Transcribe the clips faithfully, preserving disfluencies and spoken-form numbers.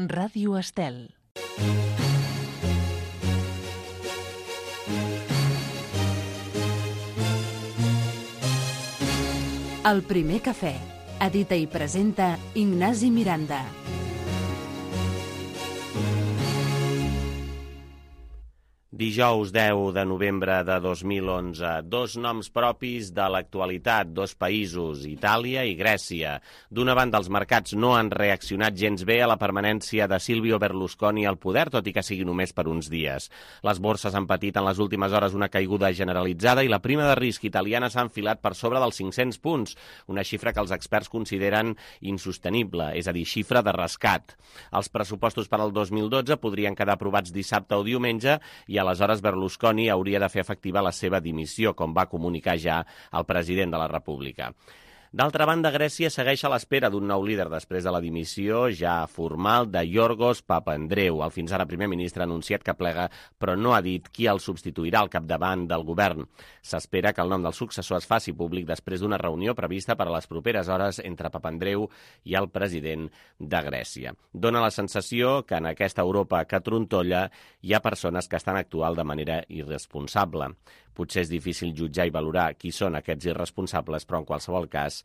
Ràdio Estel. El primer cafè. Edita i presenta Ignasi Miranda. Dijous deu de novembre de dos mil onze. Dos noms propis de l'actualitat, dos països, Itàlia i Grècia. D'una banda, els mercats no han reaccionat gens bé a la permanència de Silvio Berlusconi al poder, tot i que sigui només per uns dies. Les borses han patit en les últimes hores una caiguda generalitzada i la prima de risc italiana s'ha enfilat per sobre dels cinc-cents punts, una xifra que els experts consideren insostenible, és a dir, xifra de rescat. Els pressupostos per al dos mil dotze podrien quedar aprovats dissabte o diumenge i a aleshores Berlusconi hauria de fer efectiva la seva dimissió, com va comunicar ja el president de la República. D'altra banda, Grècia segueix a l'espera d'un nou líder després de la dimissió ja formal de Yorgos Papandreou. El fins ara primer ministre ha anunciat que plega, però no ha dit qui el substituirà al capdavant del govern. S'espera que el nom del successor es faci públic després d'una reunió prevista per a les properes hores entre Papandreou i el president de Grècia. Dóna la sensació que en aquesta Europa que trontolla hi ha persones que estan actuant de manera irresponsable. Potser és difícil jutjar i valorar qui són aquests irresponsables, però en qualsevol cas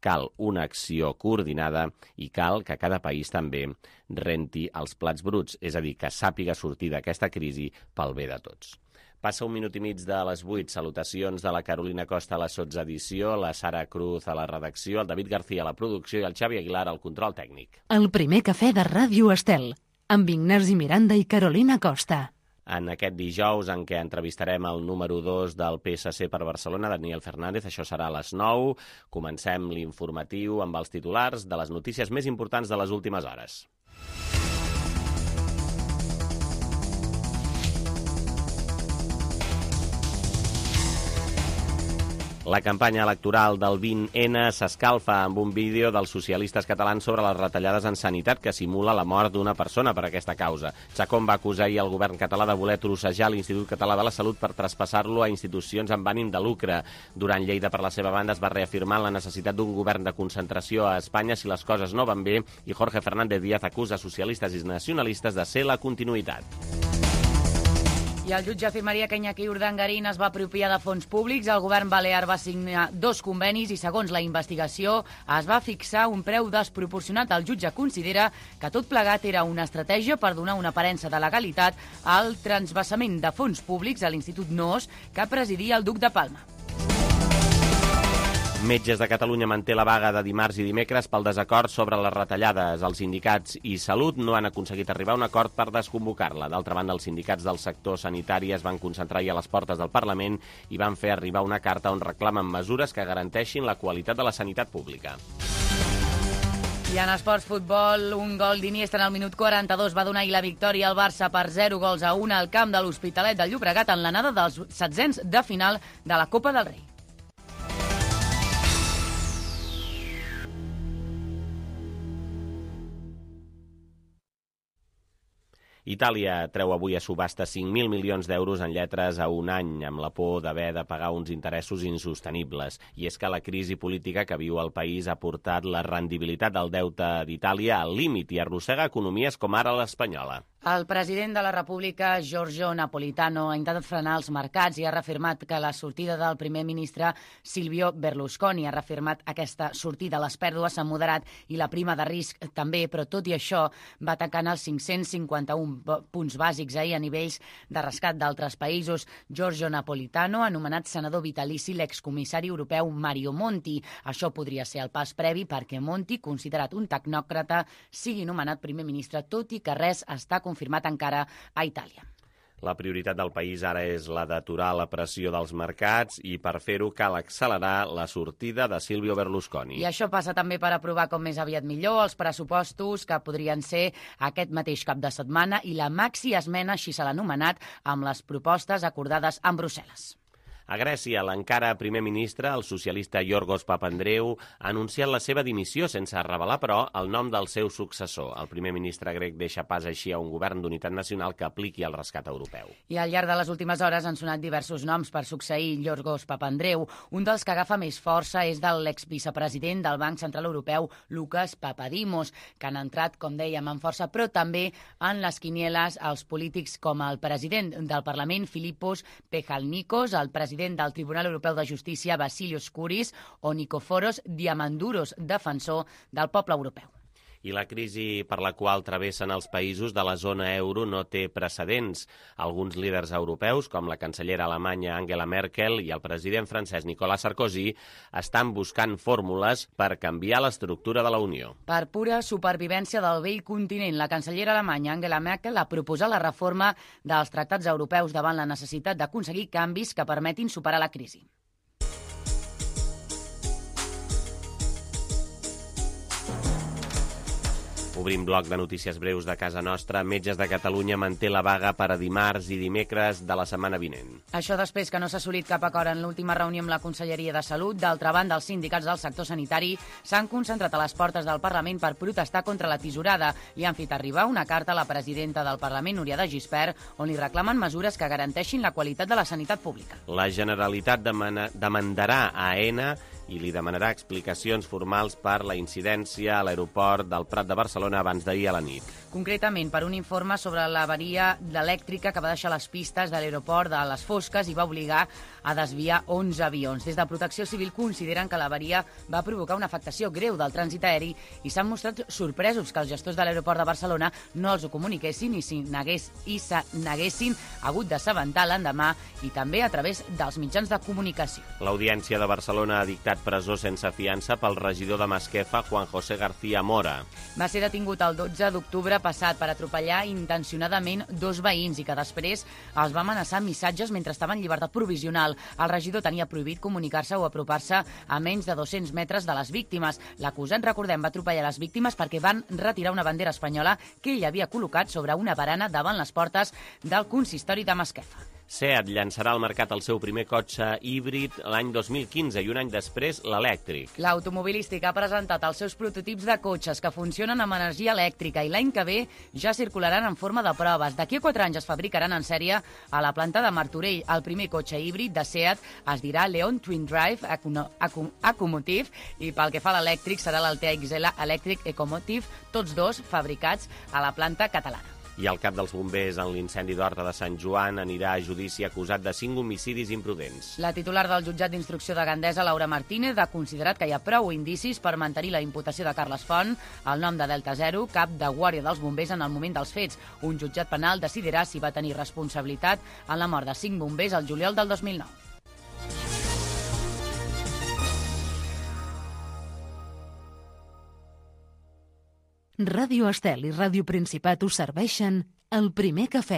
cal una acció coordinada i cal que cada país també renti els plats bruts, és a dir, que sàpiga sortir d'aquesta crisi pel bé de tots. Passa un minut i mig de les vuit. Salutacions de la Carolina Costa a la sotsedició, la Sara Cruz a la redacció, el David García a la producció i el Xavi Aguilar al control tècnic. El primer cafè de Ràdio Estel, amb Ignasi Miranda i Carolina Costa. En aquest dijous en què entrevistarem el número dos del P S C per Barcelona, Daniel Fernández. Això serà a les nou. Comencem l'informatiu amb els titulars de les notícies més importants de les últimes hores. La campanya electoral del vint ene s'escalfa amb un vídeo dels socialistes catalans sobre les retallades en sanitat que simula la mort d'una persona per aquesta causa. Chacón va acusar ahir el govern català de voler trossejar l'Institut Català de la Salut per traspassar-lo a institucions amb ànim de lucre. Durant Lleida, per la seva banda, es va reafirmar la necessitat d'un govern de concentració a Espanya si les coses no van bé i Jorge Fernández Díaz acusa socialistes i nacionalistes de ser la continuïtat. I el jutge afirmaria que Iñaki Urdangarín es va apropiar de fons públics. El govern balear va signar dos convenis i, segons la investigació, es va fixar un preu desproporcionat. El jutge considera que tot plegat era una estratègia per donar una aparença de legalitat al transvasament de fons públics a l'Institut Noos que presidia el duc de Palma. Metges de Catalunya manté la vaga de dimarts i dimecres pel desacord sobre les retallades. Els sindicats i Salut no han aconseguit arribar a un acord per desconvocar-la. D'altra banda, els sindicats del sector sanitari es van concentrar ahir a les portes del Parlament i van fer arribar una carta on reclamen mesures que garanteixin la qualitat de la sanitat pública. I en esports futbol, un gol d'Iniesta en el minut quaranta-dos va donar la victòria al Barça per zero gols a un al camp de l'Hospitalet de Llobregat en l'anada dels setzents de final de la Copa del Rei. Itàlia treu avui a subhasta cinc mil milions d'euros en lletres a un any, amb la por d'haver de pagar uns interessos insostenibles. I és que la crisi política que viu el país ha portat la rendibilitat del deute d'Itàlia al límit i arrossega economies com ara l'espanyola. El president de la República, Giorgio Napolitano, ha intentat frenar els mercats i ha reafirmat que la sortida del primer ministre Silvio Berlusconi ha reafirmat aquesta sortida. Les pèrdues s'han moderat i la prima de risc també, però tot i això va atacant els cinc-cents cinquanta-un punts bàsics ahir a nivells de rescat d'altres països. Giorgio Napolitano ha anomenat senador vitalici l'excomissari europeu Mario Monti. Això podria ser el pas previ perquè Monti, considerat un tecnòcrata, sigui nomenat primer ministre, tot i que res està confirmat encara a Itàlia. La prioritat del país ara és la d'aturar la pressió dels mercats i per fer-ho cal accelerar la sortida de Silvio Berlusconi. I això passa també per aprovar com més aviat millor els pressupostos que podrien ser aquest mateix cap de setmana i la maxi esmena, així se l'ha anomenat, amb les propostes acordades amb Brussel·les. A Grècia, l'encara primer ministre, el socialista Yorgos Papandreou, ha anunciat la seva dimissió sense revelar, però, el nom del seu successor. El primer ministre grec deixa pas així a un govern d'unitat nacional que apliqui el rescat europeu. I al llarg de les últimes hores han sonat diversos noms per succeir Yorgos Papandreou. Un dels que agafa més força és de l'exvicepresident del Banc Central Europeu, Lucas Papadimos, que han entrat, com dèiem, amb força, però també en les quinieles els polítics com el president del Parlament, Filippos Pejalnikos, el president del Tribunal Europeu de Justícia, Vasilios Kouris, o Nicoforos Diamandouros, defensor del poble europeu. I la crisi per la qual travessen els països de la zona euro no té precedents. Alguns líders europeus, com la cancellera alemanya Angela Merkel i el president francès Nicolas Sarkozy, estan buscant fórmules per canviar l'estructura de la Unió. Per pura supervivència del vell continent, la cancellera alemanya Angela Merkel ha proposat la reforma dels tractats europeus davant la necessitat d'aconseguir canvis que permetin superar la crisi. Obrim bloc de notícies breus de casa nostra. Metges de Catalunya manté la vaga per a dimarts i dimecres de la setmana vinent. Això després que no s'ha assolit cap acord en l'última reunió amb la Conselleria de Salut. D'altra banda, els sindicats del sector sanitari s'han concentrat a les portes del Parlament per protestar contra la tisorada i han fet arribar una carta a la presidenta del Parlament, Núria de Gispert, on li reclamen mesures que garanteixin la qualitat de la sanitat pública. La Generalitat demana, demandarà a AENA i li demanarà explicacions formals per la incidència a l'aeroport del Prat de Barcelona abans d'ahir a la nit. Concretament, per un informe sobre l'avaria elèctrica que va deixar les pistes de l'aeroport de les Fosques i va obligar a desviar onze avions. Des de Protecció Civil consideren que l'avaria va provocar una afectació greu del trànsit aeri i s'han mostrat sorpresos que els gestors de l'aeroport de Barcelona no els ho comuniquessin i s'hi negués, i se n'haguessin hagut d'assabentar l'endemà i també a través dels mitjans de comunicació. L'Audiència de Barcelona ha dictat presó sense fiança pel regidor de Masquefa, Juan José García Mora. Va ser detingut el dotze d'octubre passat per atropellar intencionadament dos veïns i que després els va amenaçar amb missatges mentre estava en llibertat provisional. El regidor tenia prohibit comunicar-se o apropar-se a menys de dos-cents metres de les víctimes. L'acusat, recordem, va atropellar les víctimes perquè van retirar una bandera espanyola que ell havia col·locat sobre una barana davant les portes del consistori de Masquefa. SEAT llançarà al mercat el seu primer cotxe híbrid l'any dos mil quinze i un any després l'elèctric. L'automobilístic ha presentat els seus prototips de cotxes que funcionen amb energia elèctrica i l'any que ve ja circularan en forma de proves. D'aquí a quatre anys es fabricaran en sèrie a la planta de Martorell. El primer cotxe híbrid de SEAT es dirà Leon Twin Drive Ecomotive i pel que fa a l'elèctric serà l'Altea X L Electric Ecomotive, tots dos fabricats a la planta catalana. I el cap dels bombers en l'incendi d'Horta de Sant Joan anirà a judici acusat de cinc homicidis imprudents. La titular del jutjat d'instrucció de Gandesa, Laura Martínez, ha considerat que hi ha prou indicis per mantenir la imputació de Carles Font, el nom de Delta Zero, cap de guàrdia dels bombers en el moment dels fets. Un jutjat penal decidirà si va tenir responsabilitat en la mort de cinc bombers el juliol del dos mil nou. Ràdio Estel i Ràdio Principat us serveixen el primer cafè.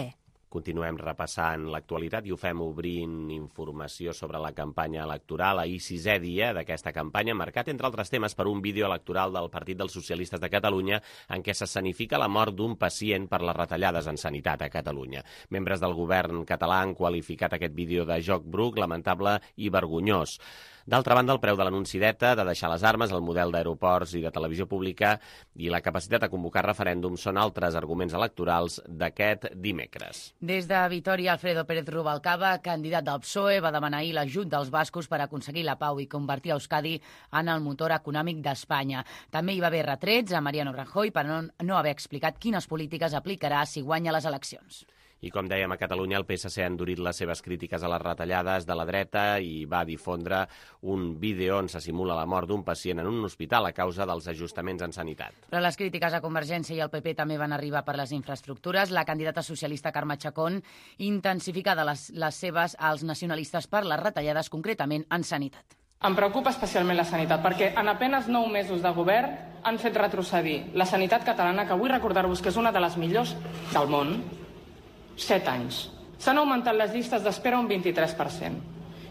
Continuem repassant l'actualitat i ho fem obrint informació sobre la campanya electoral. Ahir, sisè dia d'aquesta campanya, marcat, entre altres temes, per un vídeo electoral del Partit dels Socialistes de Catalunya en què s'escenifica la mort d'un pacient per les retallades en sanitat a Catalunya. Membres del govern català han qualificat aquest vídeo de joc bruc, lamentable i vergonyós. D'altra banda, el preu de l'anunci d'ETA, de deixar les armes, el model d'aeroports i de televisió pública i la capacitat de convocar referèndums són altres arguments electorals d'aquest dimecres. Des de Vitòria, Alfredo Pérez Rubalcaba, candidat del P S O E, va demanar ahir l'ajut dels bascos per aconseguir la pau i convertir Euskadi en el motor econòmic d'Espanya. També hi va haver retrets a Mariano Rajoy per no, no haver explicat quines polítiques aplicarà si guanya les eleccions. I com dèiem, a Catalunya el P S C ha endurit les seves crítiques a les retallades de la dreta i va difondre un vídeo on se simula la mort d'un pacient en un hospital a causa dels ajustaments en sanitat. Però les crítiques a Convergència i al P P també van arribar per les infraestructures. La candidata socialista Carme Chacón intensifica les, les seves als nacionalistes per les retallades, concretament en sanitat. Em preocupa especialment la sanitat, perquè en apenas nou mesos de govern han fet retrocedir la sanitat catalana, que vull recordar-vos que és una de les millors del món, set anys. S'han augmentat les llistes d'espera un vint-i-tres per cent.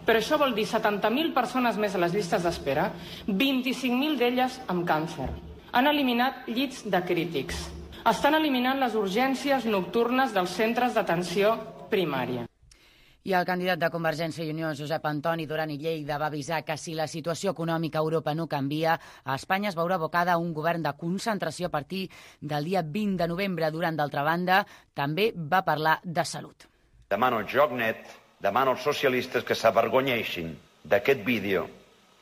Però això vol dir setanta mil persones més a les llistes d'espera, vint-i-cinc mil d'elles amb càncer. Han eliminat llits de crítics. Estan eliminant les urgències nocturnes dels centres d'atenció primària. I el candidat de Convergència i Unió, Josep Antoni Duran i Lleida, va avisar que si la situació econòmica a Europa no canvia, a Espanya es veurà abocada a un govern de concentració a partir del dia vint de novembre. Duran, d'altra banda, també va parlar de salut. Demano al joc net, demano als socialistes que s'avergonyeixin d'aquest vídeo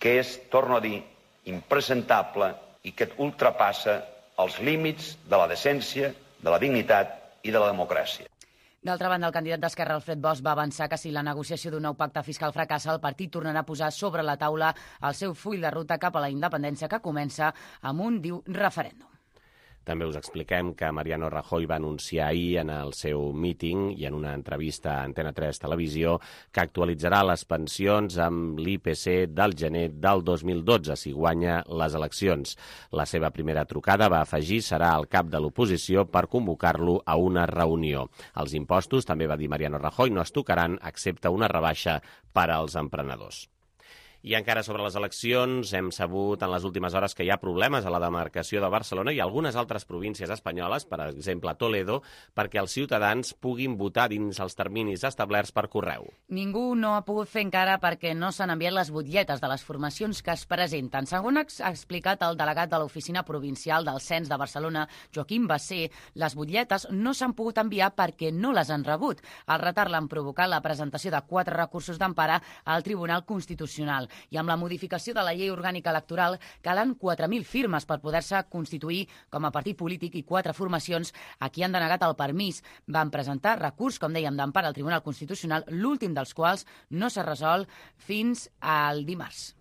que és, torno a dir, impresentable i que ultrapassa els límits de la decència, de la dignitat i de la democràcia. D'altra banda, el candidat d'Esquerra, Alfred Bosch, va avançar que si la negociació d'un nou pacte fiscal fracassa, el partit tornarà a posar sobre la taula el seu full de ruta cap a la independència, que comença amb un, diu, referèndum. També us expliquem que Mariano Rajoy va anunciar ahir en el seu míting i en una entrevista a Antena tres Televisió que actualitzarà les pensions amb l'I P C del gener del dos mil dotze, si guanya les eleccions. La seva primera trucada, va afegir, serà al cap de l'oposició per convocar-lo a una reunió. Els impostos, també va dir Mariano Rajoy, no es tocaran, excepte una rebaixa per als emprenedors. I encara sobre les eleccions, hem sabut en les últimes hores que hi ha problemes a la demarcació de Barcelona i algunes altres províncies espanyoles, per exemple Toledo, perquè els ciutadans puguin votar dins els terminis establerts per correu. Ningú no ha pogut fer encara perquè no s'han enviat les butlletes de les formacions que es presenten. Segons ha explicat el delegat de l'Oficina Provincial del Cens de Barcelona, Joaquim Bassé, les butlletes no s'han pogut enviar perquè no les han rebut. El retard l'han provocat la presentació de quatre recursos d'empara al Tribunal Constitucional. I amb la modificació de la llei orgànica electoral calen quatre mil firmes per poder-se constituir com a partit polític i quatre formacions a qui han denegat el permís. Van presentar recurs, com dèiem, d'empara al Tribunal Constitucional, l'últim dels quals no s'ha resolt fins al dimarts.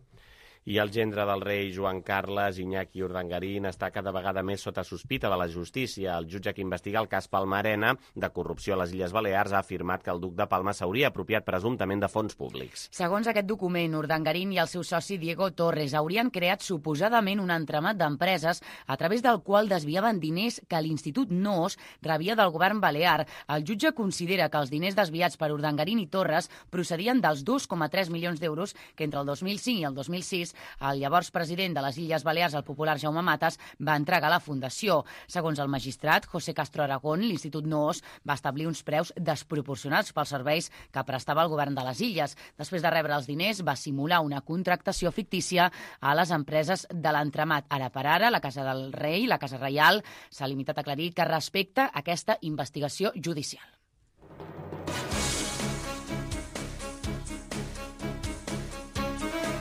I el gendre del rei Joan Carles, Iñaki Urdangarín, està cada vegada més sota sospita de la justícia. El jutge que investiga el cas Palma-Arena de corrupció a les Illes Balears ha afirmat que el duc de Palma s'hauria apropiat presumptament de fons públics. Segons aquest document, Urdangarín i el seu soci Diego Torres haurien creat suposadament un entramat d'empreses a través del qual desviaven diners que l'Institut Noos rebia del govern balear. El jutge considera que els diners desviats per Urdangarín i Torres procedien dels dos coma tres milions d'euros que entre el dos mil cinc i el dos mil sis el llavors president de les Illes Balears, el popular Jaume Matas, va entregar a la Fundació. Segons el magistrat José Castro Aragón, l'Institut Noos va establir uns preus desproporcionats pels serveis que prestava el govern de les Illes. Després de rebre els diners, va simular una contractació fictícia a les empreses de l'entramat. Ara per ara, la Casa del Rei, la Casa Reial, s'ha limitat a aclarir que respecta aquesta investigació judicial.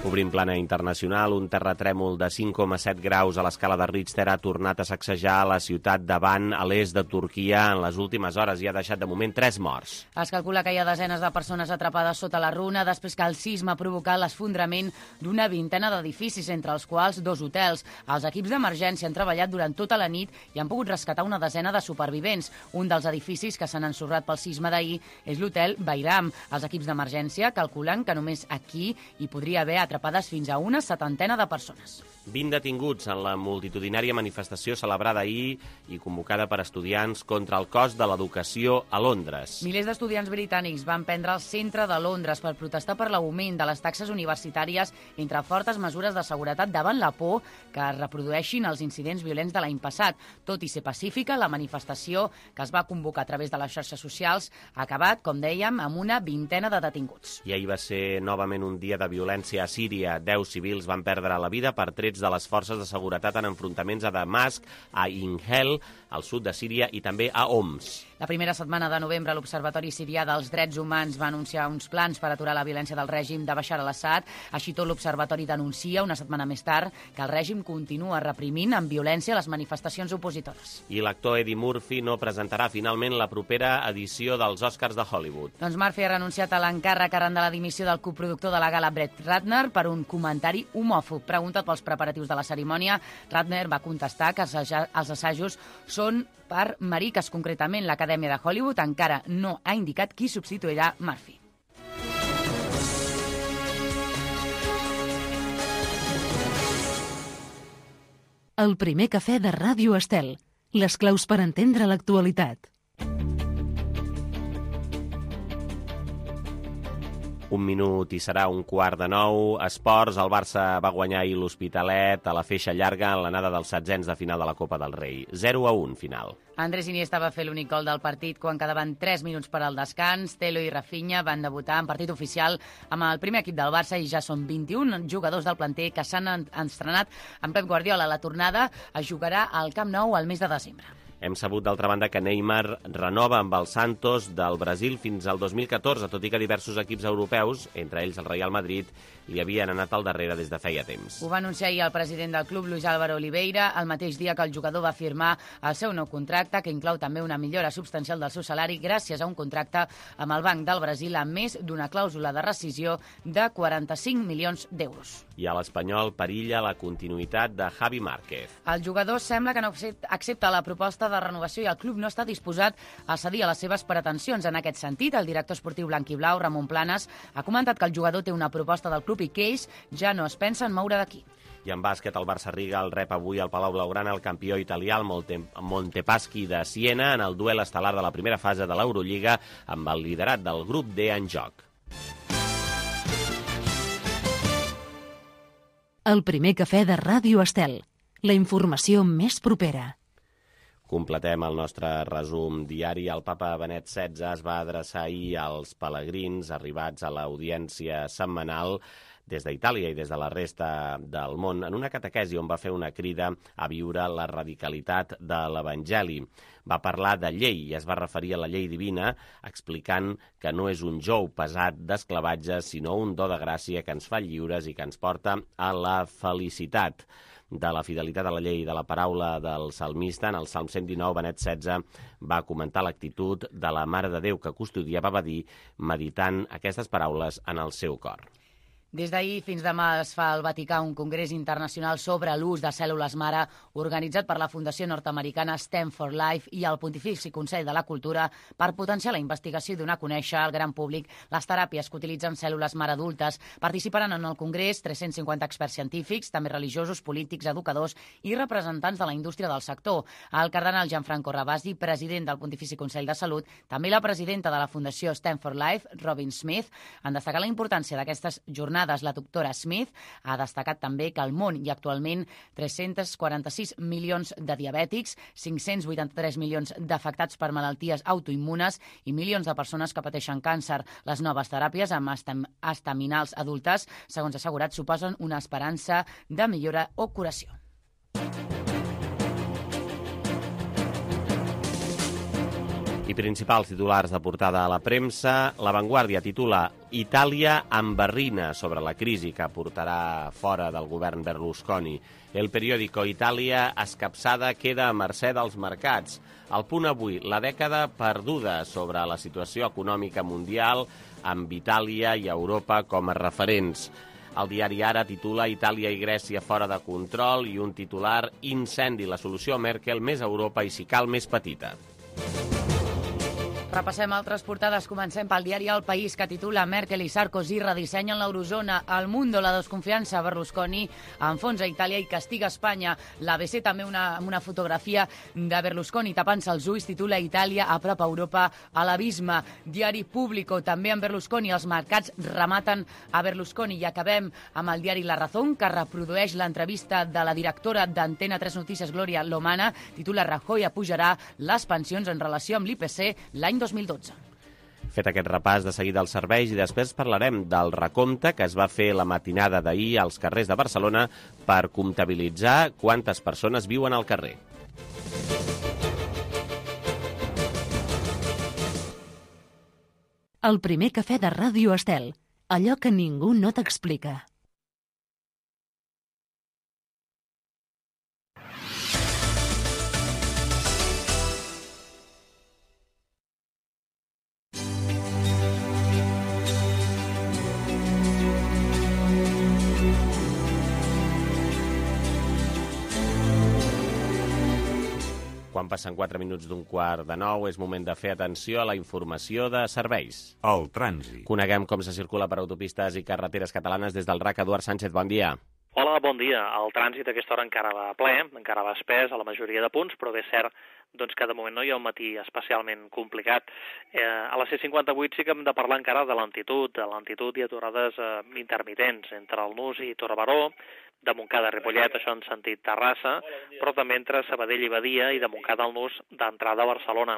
Obrim plana internacional, un terratrèmol de cinc coma set graus a l'escala de Richter ha tornat a sacsejar la ciutat de Van, a l'est de Turquia, en les últimes hores i ha deixat de moment tres morts. Es calcula que hi ha desenes de persones atrapades sota la runa després que el sisme ha provocat l'esfondrament d'una vintena d'edificis, entre els quals dos hotels. Els equips d'emergència han treballat durant tota la nit i han pogut rescatar una desena de supervivents. Un dels edificis que s'han ensorrat pel sisme d'ahir és l'hotel Bayram. Els equips d'emergència calculen que només aquí hi podria haver atrapades fins a una setantena de persones. vint detinguts en la multitudinària manifestació celebrada ahir i convocada per estudiants contra el cost de l'educació a Londres. Milers d'estudiants britànics van prendre el centre de Londres per protestar per l'augment de les taxes universitàries entre fortes mesures de seguretat davant la por que es reprodueixin els incidents violents de l'any passat. Tot i ser pacífica, la manifestació que es va convocar a través de les xarxes socials ha acabat, com dèiem, amb una vintena de detinguts. I ahir va ser novament un dia de violència a Síria. Deu civils van perdre la vida per trets de les forces de seguretat en enfrontaments a Damasc, a Inhel, al sud de Síria, i també a Homs. La primera setmana de novembre, l'Observatori Sirià dels Drets Humans va anunciar uns plans per aturar la violència del règim de Bashar al-Assad. Així tot, l'Observatori denuncia, una setmana més tard, que el règim continua reprimint amb violència les manifestacions opositores. I l'actor Eddie Murphy no presentarà finalment la propera edició dels Oscars de Hollywood. Doncs Murphy ha renunciat a l'encàrrec arran de la dimissió del coproductor de la gala Brett Ratner per un comentari homòfob. Preguntat pels preparatius de la cerimònia, Ratner va contestar que els assajos són per mariques. Concretament, l'Acadèmia de Hollywood encara no ha indicat qui substituirà Murphy. El primer cafè de Ràdio Estel. Les claus per entendre l'actualitat. Un minut i serà un quart de nou. Esports, el Barça va guanyar ahir l'Hospitalet a la feixa llarga en l'anada dels setzents de final de la Copa del Rei. zero a un, final. Andrés Iniesta va fer l'únic gol del partit quan quedaven tres minuts per al descans. Telo i Rafinha van debutar en partit oficial amb el primer equip del Barça i ja són vint-i-un jugadors del planter que s'han estrenat amb Pep Guardiola. La tornada es jugarà al Camp Nou al mes de desembre. Hem sabut, d'altra banda, que Neymar renova amb el Santos del Brasil fins al dos mil catorze, tot i que diversos equips europeus, entre ells el Real Madrid, li havien anat al darrere des de feia temps. Ho va anunciar ahir el president del club, Luis Álvaro Oliveira, el mateix dia que el jugador va firmar el seu nou contracte, que inclou també una millora substancial del seu salari gràcies a un contracte amb el Banc del Brasil amb més d'una clàusula de rescisió de quaranta-cinc milions d'euros. I a l'Espanyol perilla la continuïtat de Javi Márquez. El jugador sembla que no accepta la proposta de renovació i el club no està disposat a cedir a les seves pretensions. En aquest sentit, el director esportiu blanquiblau, Ramon Planes, ha comentat que el jugador té una proposta del club i que ells ja no es pensen moure d'aquí. I en bàsquet, el Barça Riga el rep avui al Palau Blaugrana el campió italià, el Montepaschi de Siena, en el duel estel·lar de la primera fase de l'Eurolliga amb el liderat del grup D en joc. El primer cafè de Ràdio Estel. La informació més propera. Completem el nostre resum diari. El papa Benet setze es va adreçar ahir als pelegrins arribats a l'audiència setmanal des d'Itàlia i des de la resta del món en una catequesi on va fer una crida a viure la radicalitat de l'Evangeli. Va parlar de llei i es va referir a la llei divina, explicant que no és un jou pesat d'esclavatge, sinó un do de gràcia que ens fa lliures i que ens porta a la felicitat. De la fidelitat a la llei de la paraula del salmista, en el Salm cent dinou, Benet setze va comentar l'actitud de la Mare de Déu que custodiava, va dir, meditant aquestes paraules en el seu cor. Des d'ahir fins demà es fa al Vaticà un congrés internacional sobre l'ús de cèl·lules mare organitzat per la Fundació nord-americana STEM for Life i el Pontifici Consell de la Cultura per potenciar la investigació i donar a conèixer al gran públic les teràpies que utilitzen cèl·lules mare adultes. Participaran en el congrés tres-cents cinquanta experts científics, també religiosos, polítics, educadors i representants de la indústria del sector. El cardenal Gianfranco Ravasi, president del Pontifici Consell de Salut, també la presidenta de la Fundació STEM for Life, Robin Smith, han destacat la importància d'aquestes jornades. La doctora Smith ha destacat també que al món hi ha actualment tres-cents quaranta-sis milions de diabètics, cinc-cents vuitanta-tres milions d'afectats per malalties autoimmunes i milions de persones que pateixen càncer. Les noves teràpies amb estaminals adultes, segons assegurat, suposen una esperança de millora o curació. I principals titulars de portada a la premsa. La Vanguardia titula Itàlia embarrina sobre la crisi que portarà fora del govern Berlusconi. El periòdico Itàlia escapçada queda a mercè dels mercats. El Punt avui, la dècada perduda sobre la situació econòmica mundial amb Itàlia i Europa com a referents. El diari Ara titula Itàlia i Grècia fora de control i un titular Incendi, la solució Merkel, més Europa i si cal més petita. Repassem altres portades. Comencem pel diari El País, que titula Merkel i Sarkozy redissenyen l'eurozona. El Mundo, la desconfiança. Berlusconi enfonsa Itàlia i castiga Espanya. L'A B C també una, una fotografia de Berlusconi tapant-se els ulls, titula Itàlia a prop a Europa a l'abisme. Diari Público, també amb Berlusconi. Els mercats rematen a Berlusconi. I acabem amb el diari La Razón, que reprodueix l'entrevista de la directora d'Antena tres Notícies, Gloria Lomana. Titula Rajoy apujarà les pensions en relació amb l'I P C l'any dos mil dotze. Fet aquest repàs, de seguida els serveis i després parlarem del recompte que es va fer la matinada d'ahir als carrers de Barcelona per comptabilitzar quantes persones viuen al carrer. El primer cafè de Ràdio Estel. Allò que ningú no t'explica. Quan passen quatre minuts d'un quart de nou, és moment de fer atenció a la informació de serveis. El trànsit. Coneguem com se circula per autopistes i carreteres catalanes des del R A C. Eduard Sánchez, bon dia. Hola, bon dia. El trànsit a aquesta hora encara va ple, encara va espès a la majoria de punts, però bé, és cert doncs, que de moment no hi ha un matí especialment complicat. Eh, a la C cinquanta-vuit sí que hem de parlar encara de lentitud, de lentitud i aturades eh, intermitents entre el Nus i Torre-Baró, de Montcada a Ripollet, això en sentit Terrassa, però també entre Sabadell i Badia i de Montcada al Nus d'entrada a Barcelona.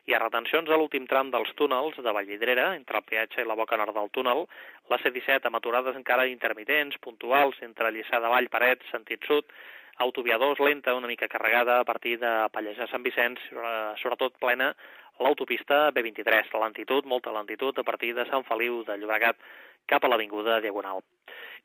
Hi ha retencions a l'últim tram dels túnels de Vallvidrera, entre el peatge i la boca nord del túnel, la C disset amb aturades encara intermitents, puntuals, entre Lliçà de Vall, Parets, sentit sud, autovia dos lenta, una mica carregada a partir de Pallejà Sant Vicenç, sobretot plena l'autopista B vint-i-tres, la lentitud, molta lentitud a partir de Sant Feliu de Llobregat cap a l'avinguda Diagonal.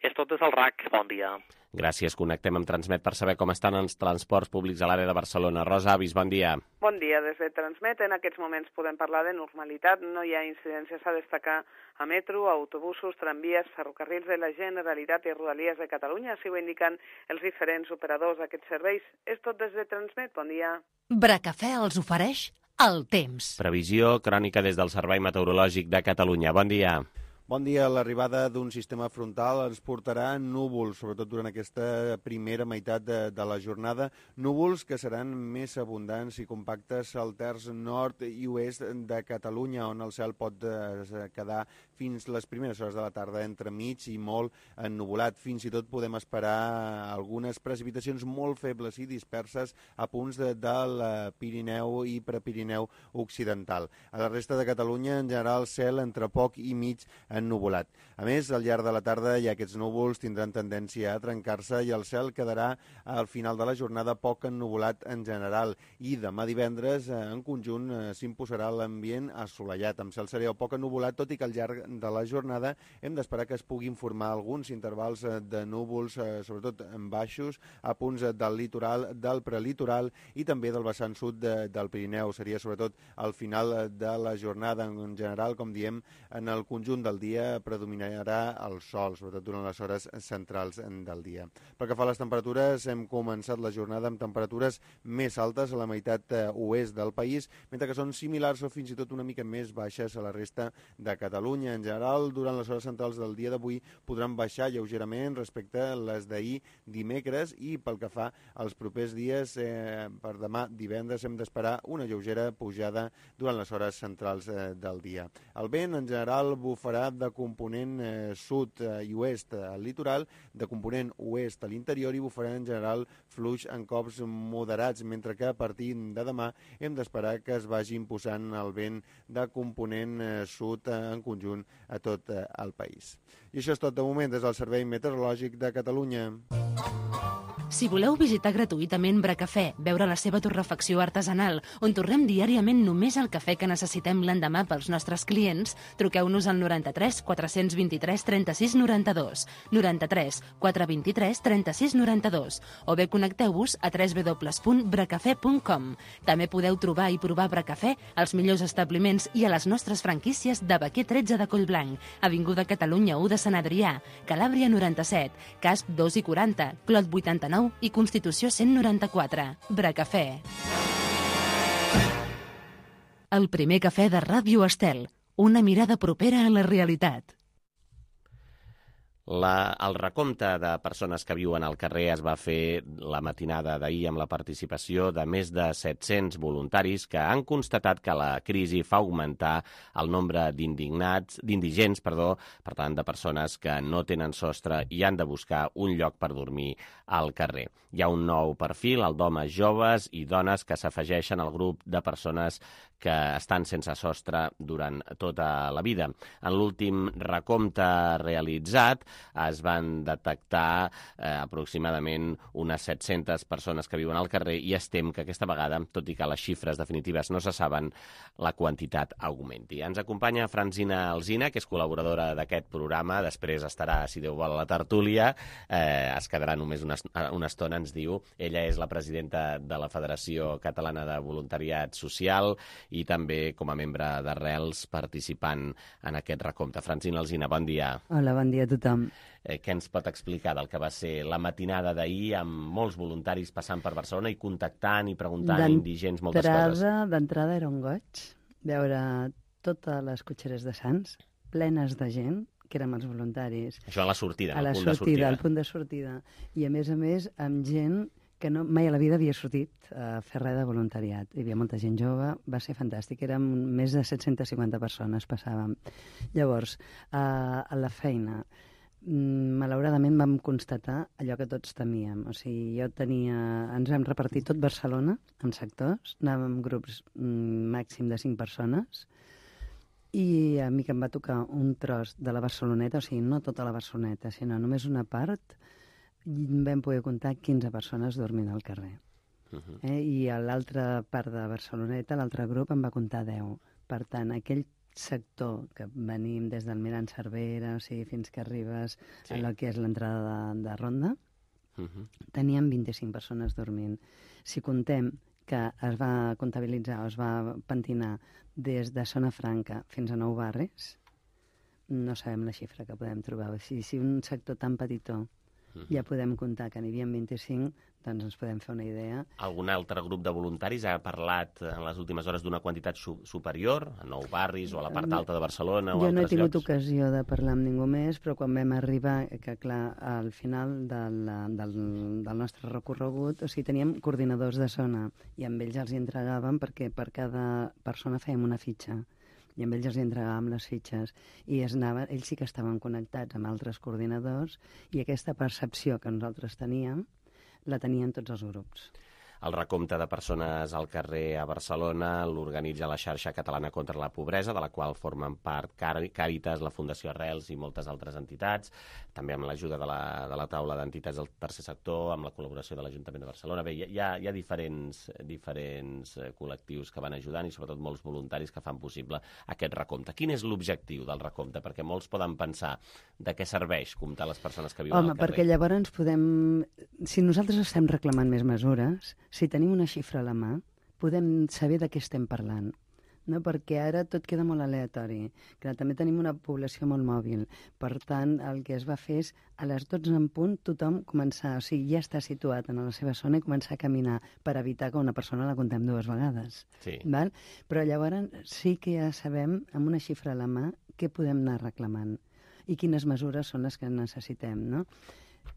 És tot des del R A C. Bon dia. Gràcies. Connectem amb Transmet per saber com estan els transports públics a l'àrea de Barcelona. Rosa Avis, bon dia. Bon dia. Des de Transmet en aquests moments podem parlar de normalitat. No hi ha incidències a destacar a metro, autobusos, tramvies, ferrocarrils de la Generalitat i Rodalies de Catalunya. Així ho indiquen els diferents operadors d'aquests serveis. És tot des de Transmet. Bon dia. Bracafè els ofereix el temps. Previsió crònica des del Servei Meteorològic de Catalunya. Bon dia. Bon dia. L'arribada d'un sistema frontal ens portarà núvols, sobretot durant aquesta primera meitat de, de la jornada. Núvols que seran més abundants i compactes al terç nord i oest de Catalunya, on el cel pot eh, quedar fins les primeres hores de la tarda entremig i molt ennuvolat. Fins i tot podem esperar algunes precipitacions molt febles i disperses a punts de, del Pirineu i Prepirineu occidental. A la resta de Catalunya, en general, cel entre poc i mig ennuvolat. A més, al llarg de la tarda ja aquests núvols tindran tendència a trencar-se i el cel quedarà al final de la jornada poc ennuvolat en general. I demà divendres, en conjunt, s'imposarà l'ambient assolellat, amb cel serè o poc ennuvolat, tot i que al llarg de la jornada hem d'esperar que es puguin formar alguns intervals de núvols, sobretot en baixos, a punts del litoral, del prelitoral i també del vessant sud de, del Pirineu. Seria sobretot al final de la jornada, en general, com diem, en el conjunt del dia predominarà el sol, sobretot durant les hores centrals del dia. Pel que fa a les temperatures, hem començat la jornada amb temperatures més altes a la meitat oest del país, mentre que són similars o fins i tot una mica més baixes a la resta de Catalunya. En general, durant les hores centrals del dia d'avui podran baixar lleugerament respecte a les d'ahir dimecres i pel que fa als propers dies, eh, per demà divendres hem d'esperar una lleugera pujada durant les hores centrals eh, del dia. El vent, en general, bufarà de component eh, sud eh, i oest al litoral, de component oest a l'interior i bufarà en general fluix en cops moderats, mentre que a partir de demà hem d'esperar que es vagi imposant el vent de component eh, sud eh, en conjunt a tot eh, el país. I això és tot de moment des del Servei Meteorològic de Catalunya. Si voleu visitar gratuïtament Bracafè, veure la seva torrefacció artesanal, on torrem diàriament només el cafè que necessitem l'endemà pels nostres clients, truqueu-nos al noranta-tres quatre vint-i-tres trenta-sis noranta-dos, noranta-tres quatre vint-i-tres trenta-sis noranta-dos, o bé connecteu-vos a w w w punt bracafè punt com. També podeu trobar i provar Bracafè als millors establiments i a les nostres franquícies de Baquer tretze de Collblanc, Avinguda Catalunya u de Sant Adrià, Calàbria noranta-set, Casp dos i quaranta, Clot vuitanta-nou i Constitució cent noranta-quatre. Bracafè. El primer cafè de Ràdio Estel. Una mirada propera a la realitat. La, el recompte de persones que viuen al carrer es va fer la matinada d'ahir amb la participació de més de set-cents voluntaris que han constatat que la crisi fa augmentar el nombre d'indignats, d'indigents, perdó, per tant, de persones que no tenen sostre i han de buscar un lloc per dormir al carrer. Hi ha un nou perfil, el d'homes joves i dones que s'afegeixen al grup de persones que estan sense sostre durant tota la vida. En l'últim recompte realitzat es van detectar eh, aproximadament unes set-centes persones que viuen al carrer i estem que aquesta vegada, tot i que les xifres definitives no se saben, la quantitat augmenti. Ens acompanya Francina Alsina, que és col·laboradora d'aquest programa, després estarà, si Déu vol, a la tertúlia, eh, es quedarà només una, una estona, ens diu. Ella és la presidenta de la Federació Catalana de Voluntariat Social i també com a membre d'Arrels participant en aquest recompte. Francina Alsina, bon dia. Hola, bon dia a tothom. Eh, què ens pot explicar del que va ser la matinada d'ahir amb molts voluntaris passant per Barcelona i contactant i preguntant a indigents moltes coses? D'entrada era un goig veure totes les cotxeres de Sants plenes de gent que érem els voluntaris. Això a la sortida, a la al punt sortida, de sortida. al punt de sortida. I a més a més amb gent que no, mai a la vida havia sortit a fer res de voluntariat. Hi havia molta gent jove, va ser fantàstic. Érem més de set-centes cinquanta persones, passàvem. Llavors, a, a la feina, malauradament vam constatar allò que tots temíem. O sigui, jo tenia... Ens vam repartir tot Barcelona en sectors, anàvem en grups màxim de cinc persones, i a mi que em va tocar un tros de la Barceloneta, o sigui, no tota la Barceloneta, sinó només una part, vam poder comptar quinze persones dormint al carrer. Uh-huh. eh? I a l'altra part de Barceloneta, l'altre grup, em va comptar deu. Per tant, aquell sector que venim des del Mirant Cervera, o sigui, fins que arribes sí. a lo que és l'entrada de, de Ronda, uh-huh. teníem vint-i-cinc persones dormint. Si contem que es va comptabilitzar o es va pentinar des de Zona Franca fins a Nou Barris, no sabem la xifra que podem trobar. O sigui, si un sector tan petitó uh-huh. ja podem comptar que n'hi havia vint-i-cinc, doncs ens podem fer una idea. Algun altre grup de voluntaris ha parlat en les últimes hores d'una quantitat su superior, a Nou Barris o a la part alta de Barcelona o jo altres llocs? Jo no he tingut llocs? ocasió de parlar amb ningú més, però quan vam arribar, que clar, al final del, del, del nostre recorregut, o sigui, teníem coordinadors de zona i amb ells els hi entregàvem perquè per cada persona fèiem una fitxa i amb ells els entregàvem les fitxes i es anava, ells sí que estaven connectats amb altres coordinadors i aquesta percepció que nosaltres teníem la tenien tots els grups. El recompte de persones al carrer a Barcelona l'organitza la xarxa catalana contra la pobresa, de la qual formen part Càritas, la Fundació Arrels i moltes altres entitats, també amb l'ajuda de, la, de la taula d'entitats del tercer sector, amb la col·laboració de l'Ajuntament de Barcelona. Bé, hi ha, hi ha diferents, diferents col·lectius que van ajudant i sobretot molts voluntaris que fan possible aquest recompte. Quin és l'objectiu del recompte? Perquè molts poden pensar de què serveix comptar les persones que viuen Home, al carrer. Perquè llavors podem... Si nosaltres estem reclamant més mesures, si tenim una xifra a la mà, podem saber de què estem parlant. No? Perquè ara tot queda molt aleatori. Que també tenim una població molt mòbil. Per tant, el que es va fer és a les dotze en punt tothom començar, o sigui, ja està situat en la seva zona i començar a caminar per evitar que una persona la contem dues vegades. Sí. Val? Però llavors sí que ja sabem, amb una xifra a la mà, què podem anar reclamant i quines mesures són les que necessitem, no?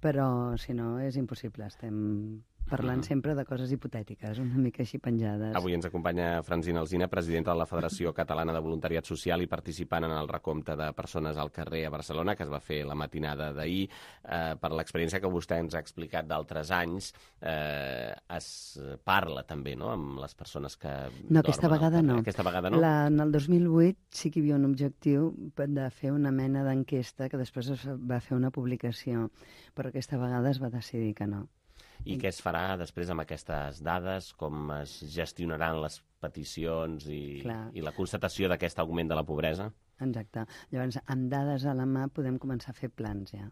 Però, si no, és impossible. Estem parlant sempre de coses hipotètiques, una mica així penjades. Avui ens acompanya Francina Alsina, presidenta de la Federació Catalana de Voluntariat Social i participant en el recompte de persones al carrer a Barcelona, que es va fer la matinada d'ahir. Eh, per l'experiència que vostè ens ha explicat d'altres anys, eh, es parla també, no?, amb les persones que No, aquesta vegada no. Aquesta vegada no? La, en el dos mil vuit sí que hi havia un objectiu de fer una mena d'enquesta que després es va fer una publicació, però aquesta vegada es va decidir que no. I què es farà després amb aquestes dades? Com es gestionaran les peticions i, i la constatació d'aquest augment de la pobresa? Exacte. Llavors, amb dades a la mà podem començar a fer plans ja.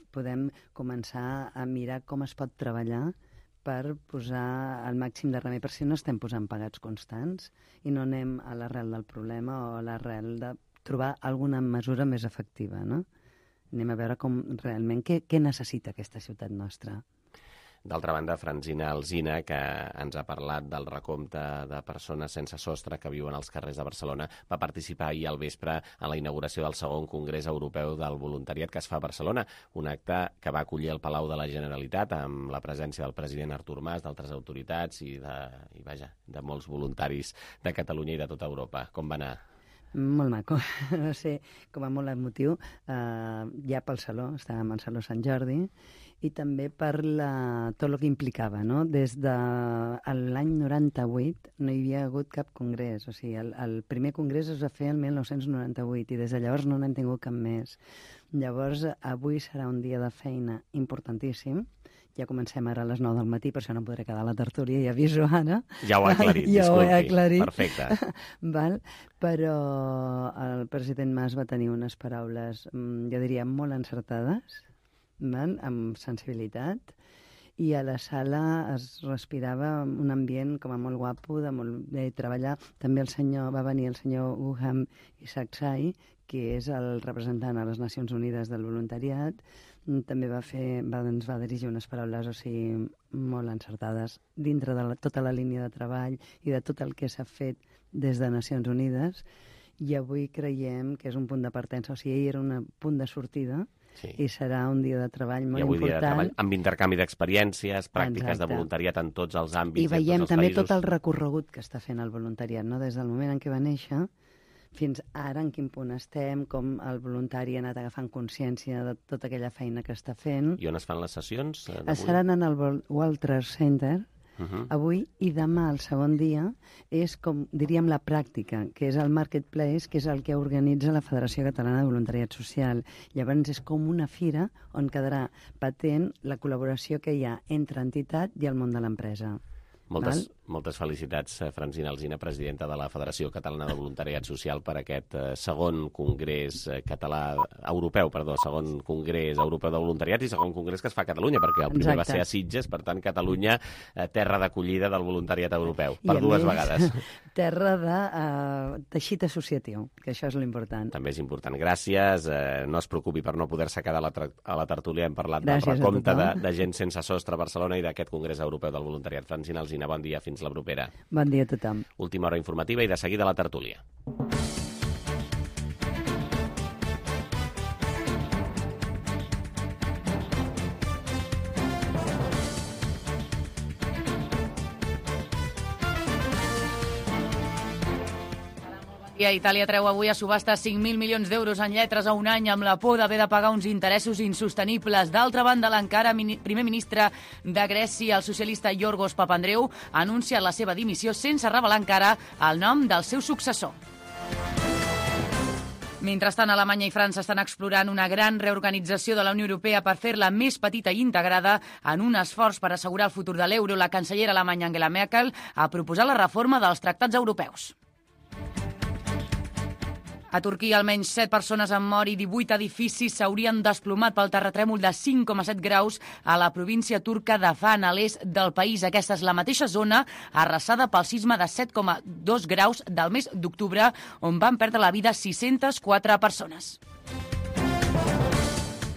Podem començar a mirar com es pot treballar per posar el màxim de remei, per si no estem posant pagats constants i no anem a l'arrel del problema o a l'arrel de trobar alguna mesura més efectiva, no? Anem a veure com realment què, què necessita aquesta ciutat nostra. D'altra banda, Francina Alsina, que ens ha parlat del recompte de persones sense sostre que viuen als carrers de Barcelona, va participar ahir al vespre en la inauguració del segon Congrés Europeu del Voluntariat que es fa a Barcelona, un acte que va acollir el Palau de la Generalitat amb la presència del president Artur Mas, d'altres autoritats i, de, i vaja, de molts voluntaris de Catalunya i de tota Europa. Com va anar? Molt maco, no sé, com a molt emotiu, eh, ja pel Saló, estàvem al Saló Sant Jordi, i també per la, tot el que implicava, no? Des de l'any noranta-vuit no hi havia hagut cap congrés, o sigui, el, el primer congrés es va fer el mil nou-cents noranta-vuit i des de llavors no n'hem tingut cap més. Llavors, avui serà un dia de feina importantíssim. Ja comencem ara a les nou del matí, per això no podré quedar a la tertúlia, ja aviso ara. Ja ho ha aclarit, ja disculpi. Ho he aclarit. Perfecte. Val? Però el president Mas va tenir unes paraules, jo diria, molt encertades, val? Amb sensibilitat, i a la sala es respirava un ambient com a molt guapo, de molt bé treballar. També el senyor, va venir el senyor Uham Isaksai, que és el representant a les Nacions Unides del voluntariat, també va fer, va, ens va dirigir unes paraules, o sigui, molt encertades dintre de la, tota la línia de treball i de tot el que s'ha fet des de Nacions Unides, i avui creiem que és un punt de partença, o sigui, ahir era un punt de sortida, sí. I serà un dia de treball molt important. I avui important. Dia de treball amb intercanvi d'experiències, pràctiques Exacte. De voluntariat en tots els àmbits. I veiem també països. Tot el recorregut que està fent el voluntariat, no? Des del moment en què va néixer fins ara, en quin punt estem, com el voluntari ha anat agafant consciència de tota aquella feina que està fent. I on es fan les sessions? Es seran en el World Trade Center, Uh-huh. avui, i demà, el segon dia, és com, diríem, la pràctica, que és el Marketplace, que és el que organitza la Federació Catalana de Voluntariat Social. Llavors és com una fira on quedarà patent la col·laboració que hi ha entre entitat i el món de l'empresa. Moltes, moltes felicitats, Francina Alsina, presidenta de la Federació Catalana de Voluntariat Social, per aquest eh, segon congrés eh, català, europeu, perdó, segon congrés europeu de voluntariat i segon congrés que es fa a Catalunya, perquè el primer Exacte. Va ser a Sitges, per tant, Catalunya, eh, terra d'acollida del voluntariat europeu, per dues més, vegades. Terra de uh, teixit associatiu, que això és l'important. També és important. Gràcies. Eh, no es preocupi per no poder-se quedar a la, a la tertúlia. Hem parlat Gràcies del recompte de, de gent sense sostre a Barcelona i d'aquest congrés europeu del voluntariat. Francina Alsina, bon dia, fins la propera. Bon dia a tothom. Última hora informativa i de seguida la tertúlia. Itàlia treu avui a subhasta cinc mil milions d'euros en lletres a un any amb la por d'haver de pagar uns interessos insostenibles. D'altra banda, l'encara primer ministre de Grècia, el socialista Yorgos Papandreou, ha anunciat la seva dimissió sense revelar encara el nom del seu successor. Mentrestant, Alemanya i França estan explorant una gran reorganització de la Unió Europea per fer-la més petita i integrada en un esforç per assegurar el futur de l'euro. La cancellera alemanya Angela Merkel ha proposat la reforma dels tractats europeus. A Turquia, almenys set persones han mort i divuit edificis s'haurien desplomat pel terratrèmol de cinc coma set graus a la província turca de Van, a l'est del país. Aquesta és la mateixa zona arrasada pel sisme de set coma dos graus del mes d'octubre, on van perdre la vida sis-centes quatre persones.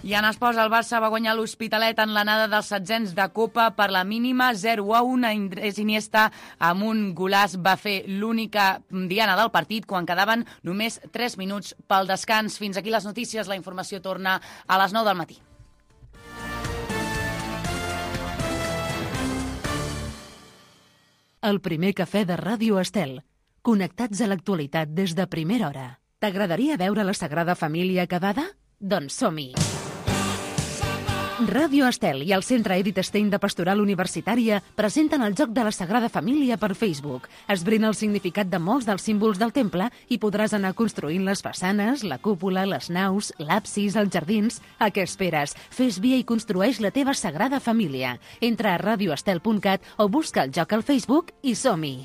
I en esports, el Barça va guanyar l'Hospitalet en l'anada dels setzents de Copa per la mínima zero a un. Andrés Iniesta, amb un golaç, va fer l'única diana del partit quan quedaven només tres minuts pel descans. Fins aquí les notícies. La informació torna a les nou del matí. El primer cafè de Ràdio Estel. Connectats a l'actualitat des de primera hora. T'agradaria veure la Sagrada Família acabada? Doncs som-hi! Ràdio Estel i el Centre Edith Stein de Pastoral Universitària presenten el Joc de la Sagrada Família per Facebook. Esbrina el significat de molts dels símbols del temple i podràs anar construint les façanes, la cúpula, les naus, l'absis, els jardins. A què esperes? Fes via i construeix la teva Sagrada Família. Entra a radioestel punt cat o busca el joc al Facebook i som-hi!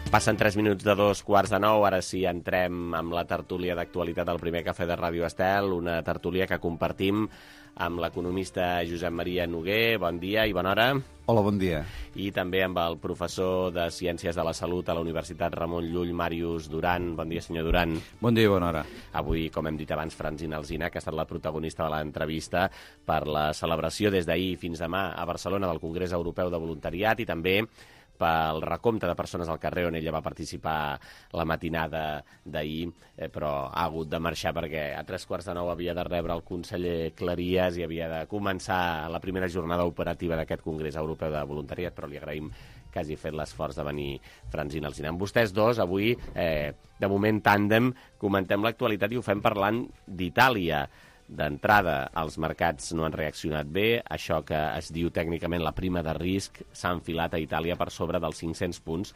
Passen tres minuts de dos quarts de nou, ara sí entrem amb la tertúlia d'actualitat del primer cafè de Ràdio Estel, una tertúlia que compartim amb l'economista Josep Maria Noguer. Bon dia i bona hora. Hola, bon dia. I també amb el professor de Ciències de la Salut a la Universitat Ramon Llull, Màrius Duran. Bon dia, senyor Duran. Bon dia i bona hora. Avui, com hem dit abans, Francina Alsina, que ha estat la protagonista de l'entrevista per la celebració des d'ahir fins demà a Barcelona del Congrés Europeu de Voluntariat i també pel recompte de persones al carrer on ella va participar la matinada d'ahir, eh, però ha hagut de marxar perquè a tres quarts de nou havia de rebre el conseller Cleries i havia de començar la primera jornada operativa d'aquest Congrés Europeu de Voluntariat, però li agraïm que hagi fet l'esforç de venir Francina Alsina. Amb vostès dos, avui, eh, de moment tàndem, comentem l'actualitat i ho fem parlant d'Itàlia. D'entrada, els mercats no han reaccionat bé. Això que es diu tècnicament la prima de risc s'ha enfilat a Itàlia per sobre dels cinc-cents punts,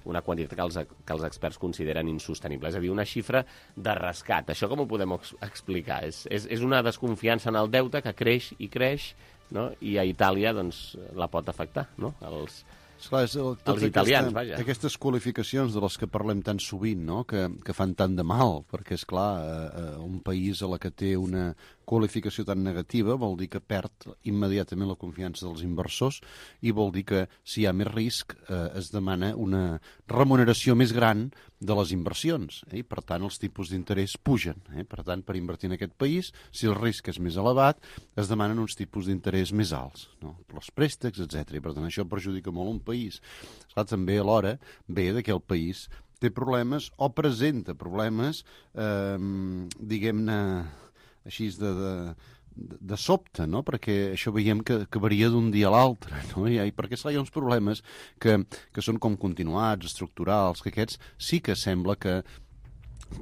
una quantitat que els, que els experts consideren insostenible. És a dir, una xifra de rescat. Això com ho podem explicar? És, és, és una desconfiança en el deute que creix i creix, no? I a Itàlia doncs, la pot afectar, no? Els, Esclar, és el, els italians, aquesta, vaja. Aquestes qualificacions de les que parlem tan sovint, no? que, que fan tant de mal, perquè, és clar, eh, un país a la que té una qualificació tan negativa vol dir que perd immediatament la confiança dels inversors i vol dir que si hi ha més risc eh, es demana una remuneració més gran de les inversions, eh? I per tant els tipus d'interès pugen, eh? Per tant, per invertir en aquest país, si el risc és més elevat, es demanen uns tipus d'interès més alts, no? Els préstecs, etcètera. I per tant això perjudica molt un país. Esclar, també alhora ve que el país té problemes o presenta problemes, eh, diguem-ne, així de, de, de sobte, no? Perquè això veiem que, que varia d'un dia a l'altre, no? I, i perquè hi ha uns problemes que, que són com continuats, estructurals, que aquests sí que sembla que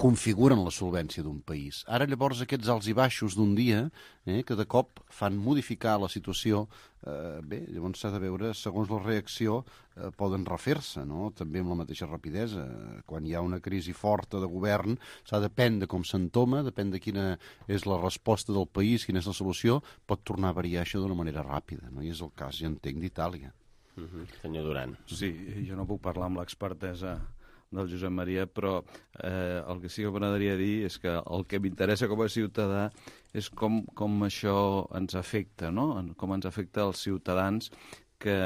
configuren la solvència d'un país. Ara, llavors, aquests alts i baixos d'un dia, eh, que de cop fan modificar la situació, eh, bé, llavors s'ha de veure, segons la reacció, eh, poden refer-se, no? També amb la mateixa rapidesa. Quan hi ha una crisi forta de govern, s'ha de depèn de com s'entoma, depèn de quina és la resposta del país, quina és la solució, pot tornar a variar això d'una manera ràpida, no? I és el cas, ja entenc, d'Itàlia. Uh-huh. Senyor Duran. Sí, jo no puc parlar amb l'expertesa del Josep Maria, però eh, el que sí que m'agradaria dir és que el que m'interessa com a ciutadà és com, com això ens afecta, no? Com ens afecta als ciutadans que,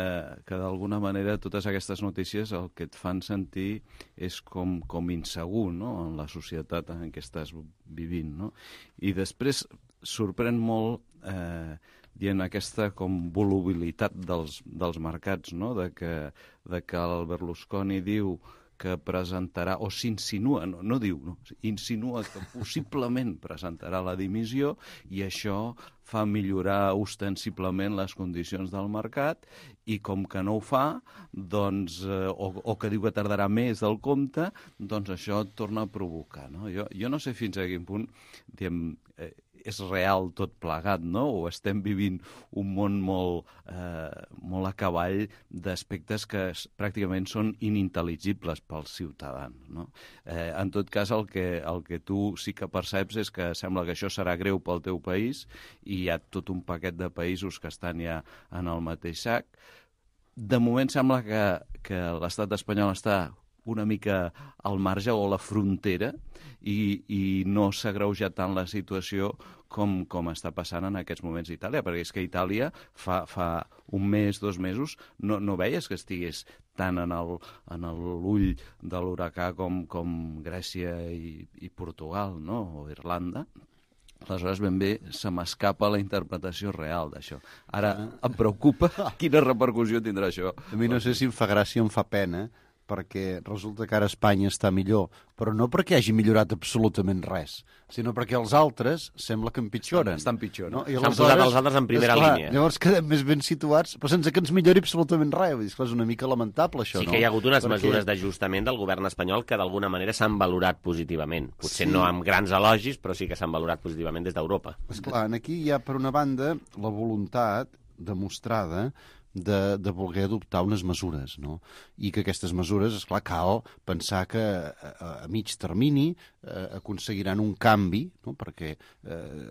que d'alguna manera totes aquestes notícies el que et fan sentir és com, com insegur, no? En la societat en què estàs vivint, no? I després sorprèn molt eh, dient aquesta com volubilitat dels, dels mercats, no? De que, de que el Berlusconi diu que presentarà, o s'insinua, no, no diu, no, insinua que possiblement presentarà la dimissió i això fa millorar ostensiblement les condicions del mercat i com que no ho fa, doncs, eh, o, o que diu que tardarà més del compte, doncs això et torna a provocar, no? Jo, jo no sé fins a quin punt, diguem, eh, és real tot plegat, no? O estem vivint un món molt, eh, molt a cavall d'aspectes que pràcticament són inintel·ligibles pels ciutadans, no? Eh, en tot cas, el que, el que tu sí que perceps és que sembla que això serà greu pel teu país i hi ha tot un paquet de països que estan ja en el mateix sac. De moment sembla que, que l'estat espanyol està una mica al marge o a la frontera i, i no s'ha agreujat tant la situació com, com està passant en aquests moments a Itàlia, perquè és que Itàlia fa, fa un mes, dos mesos, no, no veies que estigués tant en l'ull de l'huracà com, com Grècia i, i Portugal, no? O Irlanda. Aleshores, ben bé, se m'escapa la interpretació real d'això. Ara, em preocupa quina repercussió tindrà això. A mi no sé si em fa gràcia o em fa pena, perquè resulta que ara Espanya està millor, però no perquè hagi millorat absolutament res, sinó perquè els altres sembla que empitjoren. Estan, estan pitjor, no? I s'han posat els altres en primera esclar, línia. Llavors quedem més ben situats, però sense que ens millori absolutament res. Vull dir, esclar, és una mica lamentable, això, sí no? Sí que hi ha hagut unes perquè... mesures d'ajustament del govern espanyol que d'alguna manera s'han valorat positivament. Potser sí. no amb grans elogis, però sí que s'han valorat positivament des d'Europa. Esclar, aquí hi ha, per una banda, la voluntat demostrada de, de voler adoptar unes mesures, no? I que aquestes mesures, esclar, cal pensar que a, a mig termini eh, aconseguiran un canvi, no? Perquè eh,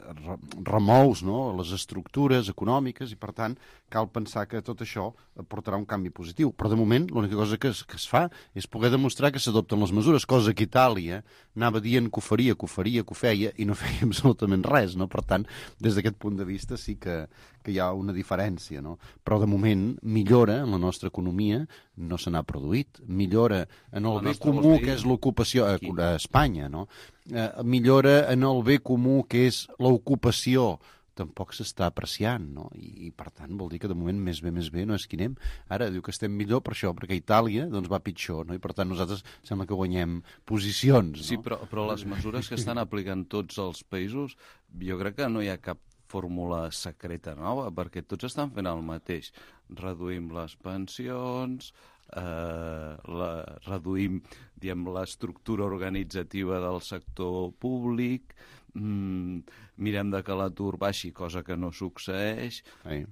remous, no? Les estructures econòmiques i, per tant, cal pensar que tot això portarà un canvi positiu. Però, de moment, l'única cosa que es, que es fa és poder demostrar que s'adopten les mesures, cosa que Itàlia anava dient que ho faria, que ho faria, que ho feia, i no feia absolutament res, no? Per tant, des d'aquest punt de vista sí que, que hi ha una diferència, no? Però, de moment, millora en la nostra economia no se n'ha produït. Millora en el bé comú, que és l'ocupació a, a Espanya, no? Eh, millora en el bé comú, que és l'ocupació, tampoc s'està apreciant, no? I, I, per tant, vol dir que de moment més bé, més bé no és qui anem. Ara diu que estem millor per això, perquè Itàlia doncs, va pitjor, no? I, per tant, nosaltres sembla que guanyem posicions, no? Sí, però, però les mesures que estan aplicant tots els països, jo crec que no hi ha cap fórmula secreta nova, perquè tots estan fent el mateix. Reduïm les pensions, eh, la, reduïm diguem, l'estructura organitzativa del sector públic, mm, mirem de que l'atur baixi, cosa que no succeeix. Sí.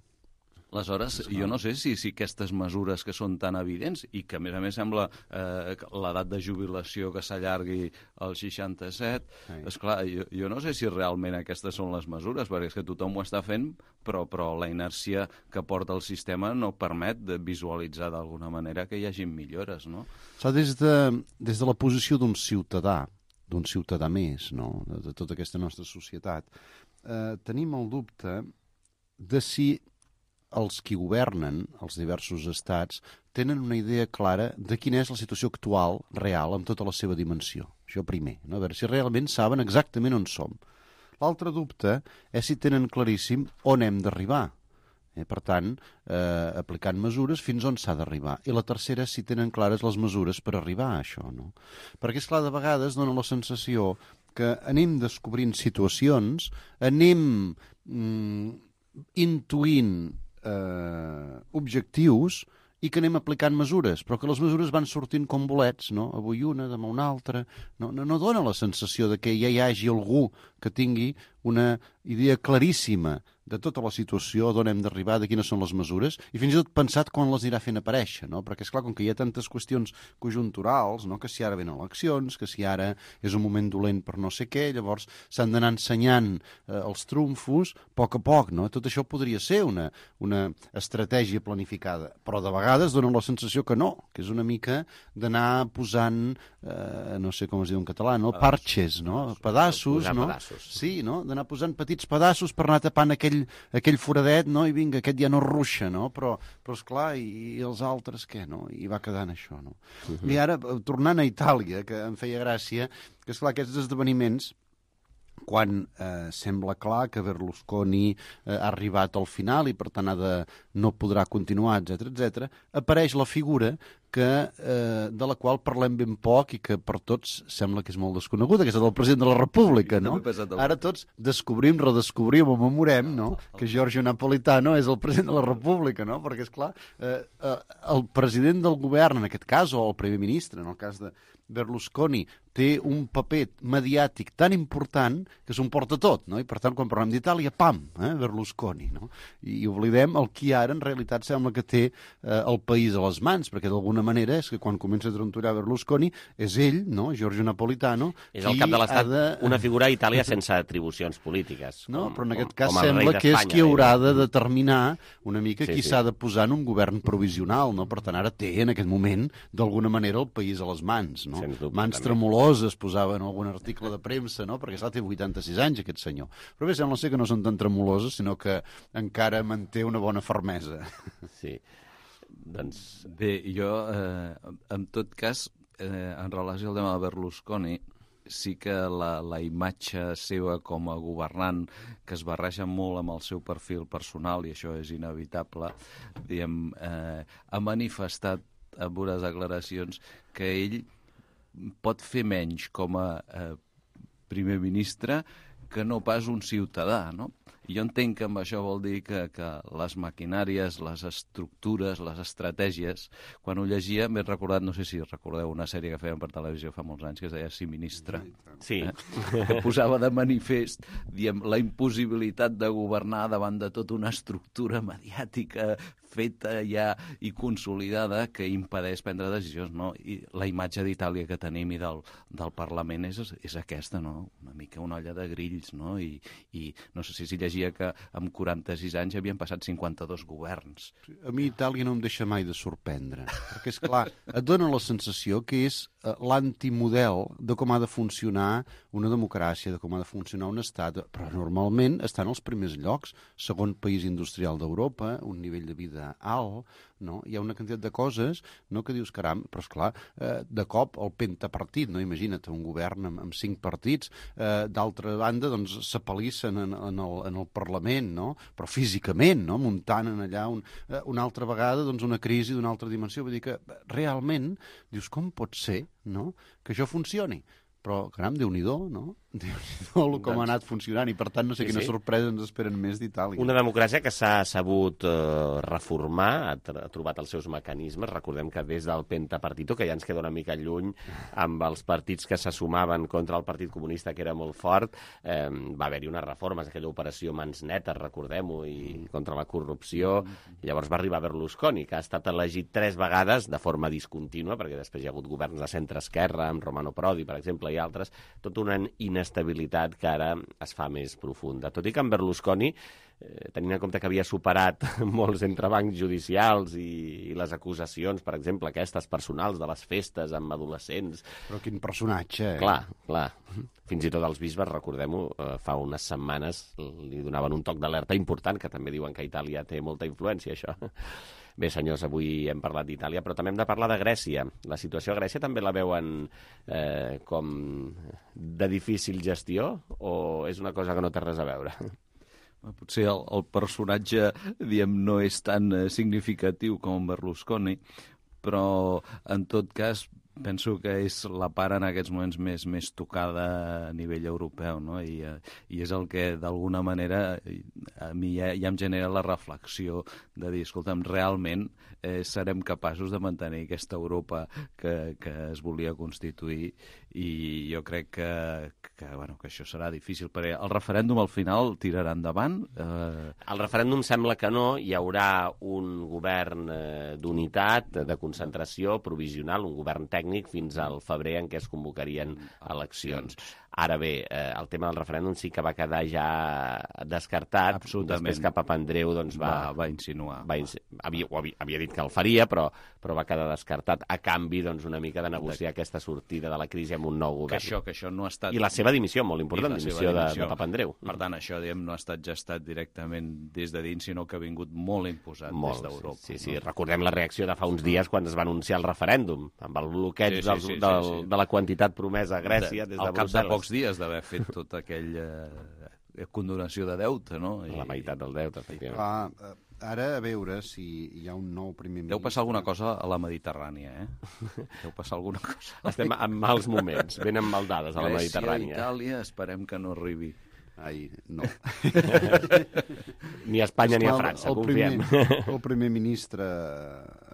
Aleshores, jo no sé si, si aquestes mesures que són tan evidents i que, a més a més, sembla eh, l'edat de jubilació que s'allargui als seixanta-set, sí. Esclar, jo, jo no sé si realment aquestes són les mesures, perquè és que tothom ho està fent, però, però la inèrcia que porta el sistema no permet de visualitzar d'alguna manera que hi hagi millores, no? So, des, de, des de la posició d'un ciutadà, d'un ciutadà més, no?, de, de tota aquesta nostra societat, eh, tenim el dubte de si els qui governen, els diversos estats, tenen una idea clara de quina és la situació actual, real, amb tota la seva dimensió. Això primer, no? A veure si realment saben exactament on som. L'altre dubte és si tenen claríssim on hem d'arribar. Eh, per tant, eh, aplicant mesures fins on s'ha d'arribar. I la tercera és si tenen clares les mesures per arribar a això, no? Perquè, esclar, de vegades dona la sensació que anem descobrint situacions, anem mm, intuint Eh, objectius i que anem aplicant mesures, però que les mesures van sortint com bolets, no? Avui una, demà una altra. No, no, no dona la sensació de que ja hi hagi algú que tingui una idea claríssima de tota la situació, d'on hem d'arribar, de quines són les mesures, i fins i tot pensat quan les anirà fent aparèixer, no? Perquè, esclar, com que hi ha tantes qüestions conjunturals, no?, que si ara venen eleccions, que si ara és un moment dolent per no sé què, llavors s'han d'anar ensenyant eh, els trumfos a poc a poc, no? Tot això podria ser una, una estratègia planificada, però de vegades dona la sensació que no, que és una mica d'anar posant, eh, no sé com es diu en català, no? Parches, no? Pedaços, no? Pedaços. Sí, no? D'anar posant petits pedaços per anar tapant aquell aquell foradet, no? I vinga, aquest ja no ruixa, no? Però, però esclar, i, i els altres què, no? I va quedant això, no? Uh-huh. I ara, tornant a Itàlia, que em feia gràcia, que esclar, aquests esdeveniments, quan eh, sembla clar que Berlusconi eh, ha arribat al final i per tant ha de, no podrà continuar, etcètera, etcètera, apareix la figura que, eh, de la qual parlem ben poc i que per tots sembla que és molt desconeguda, que és el del president de la República, no? Ara tots descobrim, redescobrim o memorem, no?, que Giorgio Napolitano és el president de la República, no? Perquè, esclar, eh, eh, el president del govern, en aquest cas, o el primer ministre, en el cas de Berlusconi, té un paper mediàtic tan important que s'ho emporta tot, no? I per tant, quan parlem d'Itàlia, pam, eh, Berlusconi, no? I, i oblidem el qui ara en realitat sembla que té eh, el país a les mans, perquè d'alguna manera és que quan comença a trontollar Berlusconi és ell, no?, Giorgio Napolitano, és el cap de l'Estat, de... una figura a Itàlia sense atribucions polítiques. No, com, però en aquest com, cas com sembla que és qui haurà de determinar una mica sí, qui sí. s'ha de posar en un govern provisional, no? Per tant, ara té en aquest moment, d'alguna manera, el país a les mans, no? Dubte, mans també. tremoloses posaven algun article de premsa, no? Perquè esclar, té vuitanta-sis anys, aquest senyor. Però bé, sembla ser que no són tan tremoloses, sinó que encara manté una bona fermesa. Sí. Doncs... Bé, jo, eh, en tot cas, eh, en relació al tema de Berlusconi, sí que la, la imatge seva com a governant, que es barreja molt amb el seu perfil personal, i això és inevitable, diguem, eh, ha manifestat en unes declaracions que ell pot fer menys com a eh, primer ministre que no pas un ciutadà, no? I jo entenc que amb això vol dir que, que les maquinàries, les estructures, les estratègies, quan ho llegia m'he recordat, no sé si recordeu una sèrie que feien per televisió fa molts anys que es deia Sí, ministre, sí. eh? que posava de manifest, diem, la impossibilitat de governar davant de tota una estructura mediàtica feta ja i consolidada que impedeix prendre decisions, no? I la imatge d'Itàlia que tenim i del, del Parlament és, és aquesta, no? Una mica una olla de grills, no? I, i no sé si s'hi llegia que amb quaranta-sis anys havien passat cinquanta-dos governs. A mi Itàlia no em deixa mai de sorprendre, perquè, és clar, et dona la sensació que és uh, l'antimodel de com ha de funcionar una democràcia, de com ha de funcionar un estat, però normalment estan als primers llocs, segon país industrial d'Europa, un nivell de vida alt, no? Hi ha una quantitat de coses, no?, que dius, caram, però esclar, eh, de cop el pentapartit, no? Imagina't, un govern amb, amb cinc partits, eh, d'altra banda, doncs, s'apal·lissen en, en, el, en el Parlament, no?, però físicament, no?, muntant en allà un, eh, una altra vegada, doncs, una crisi d'una altra dimensió, vull dir que realment, dius, com pot ser, no?, que això funcioni? però, caram, Déu-n'hi-do, no? Déu-n'hi-do com ha anat funcionant, i per tant no sé Sí, quines sí. sorpreses ens esperen més d'Itàlia. Una democràcia que s'ha sabut eh, reformar, ha, tr ha trobat els seus mecanismes. Recordem que des del pentapartito, que ja ens queda una mica lluny, amb els partits que se sumaven contra el Partit Comunista, que era molt fort, eh, va haver-hi unes reformes, aquella operació Mans Netes, recordem-ho, i contra la corrupció. Llavors va arribar Berlusconi, que ha estat elegit tres vegades de forma discontínua, perquè després hi ha hagut governs de centre-esquerra, amb Romano Prodi, per exemple, i altres, tota una inestabilitat que ara es fa més profunda. Tot i que en Berlusconi, eh, tenint en compte que havia superat molts entrebancs judicials i, i les acusacions, per exemple, aquestes personals de les festes amb adolescents... Però quin personatge, eh? Clar, clar. Fins i tot els bisbes, recordem-ho, eh, fa unes setmanes li donaven un toc d'alerta important, que també diuen que a Itàlia té molta influència, això. Bé, senyors, avui hem parlat d'Itàlia, però també hem de parlar de Grècia. La situació a Grècia també la veuen eh, com de difícil gestió, o és una cosa que no té res a veure? Potser el, el personatge, diem, no és tan eh, significatiu com Berlusconi, però en tot cas penso que és la part en aquests moments més, més tocada a nivell europeu, no? I, eh, i és el que d'alguna manera a mi ja, ja em genera la reflexió de dir, escolta'm, realment eh, serem capaços de mantenir aquesta Europa que, que es volia constituir, i jo crec que, que, bueno, que això serà difícil, perquè el referèndum al final tirarà endavant. Eh... El referèndum sembla que no, hi haurà un govern eh, d'unitat, de concentració provisional, un govern tècnic fins al febrer en què es convocarien eleccions. Ara bé, eh, el tema del referèndum sí que va quedar ja descartat. Després que Papandreou doncs, va, va, va insinuar. Va ins havia, havia, havia dit que el faria, però, però va quedar descartat a canvi doncs, una mica de negociar de... aquesta sortida de la crisi amb un nou govern. Que això, que això no ha estat... I la seva dimissió, molt important, dimissió, dimissió. De, de Papandreou. Per tant, això diguem, no ha estat gestat directament des de dins, sinó que ha vingut molt imposat molt, des d'Europa. Sí, sí, no? Recordem la reacció de fa uns dies quan es va anunciar el referèndum, amb el bloqueig sí, sí, sí, del, sí, sí. de la quantitat promesa a Grècia de, des de Brussel·les. Al cap de pocs dies d'haver fet tota aquella eh, condonació de deute, no? I... La meitat del deute, efectivament. Clar, ara a veure si hi ha un nou primer ministre... Deu passar alguna cosa a la Mediterrània, eh? Deu passar alguna cosa. Estem en mals moments, ben emmaldades a la Mediterrània. Grècia, Itàlia, esperem que no arribi. Ai, no. Ni a Espanya ni a França, el confiem. Primer, el primer ministre,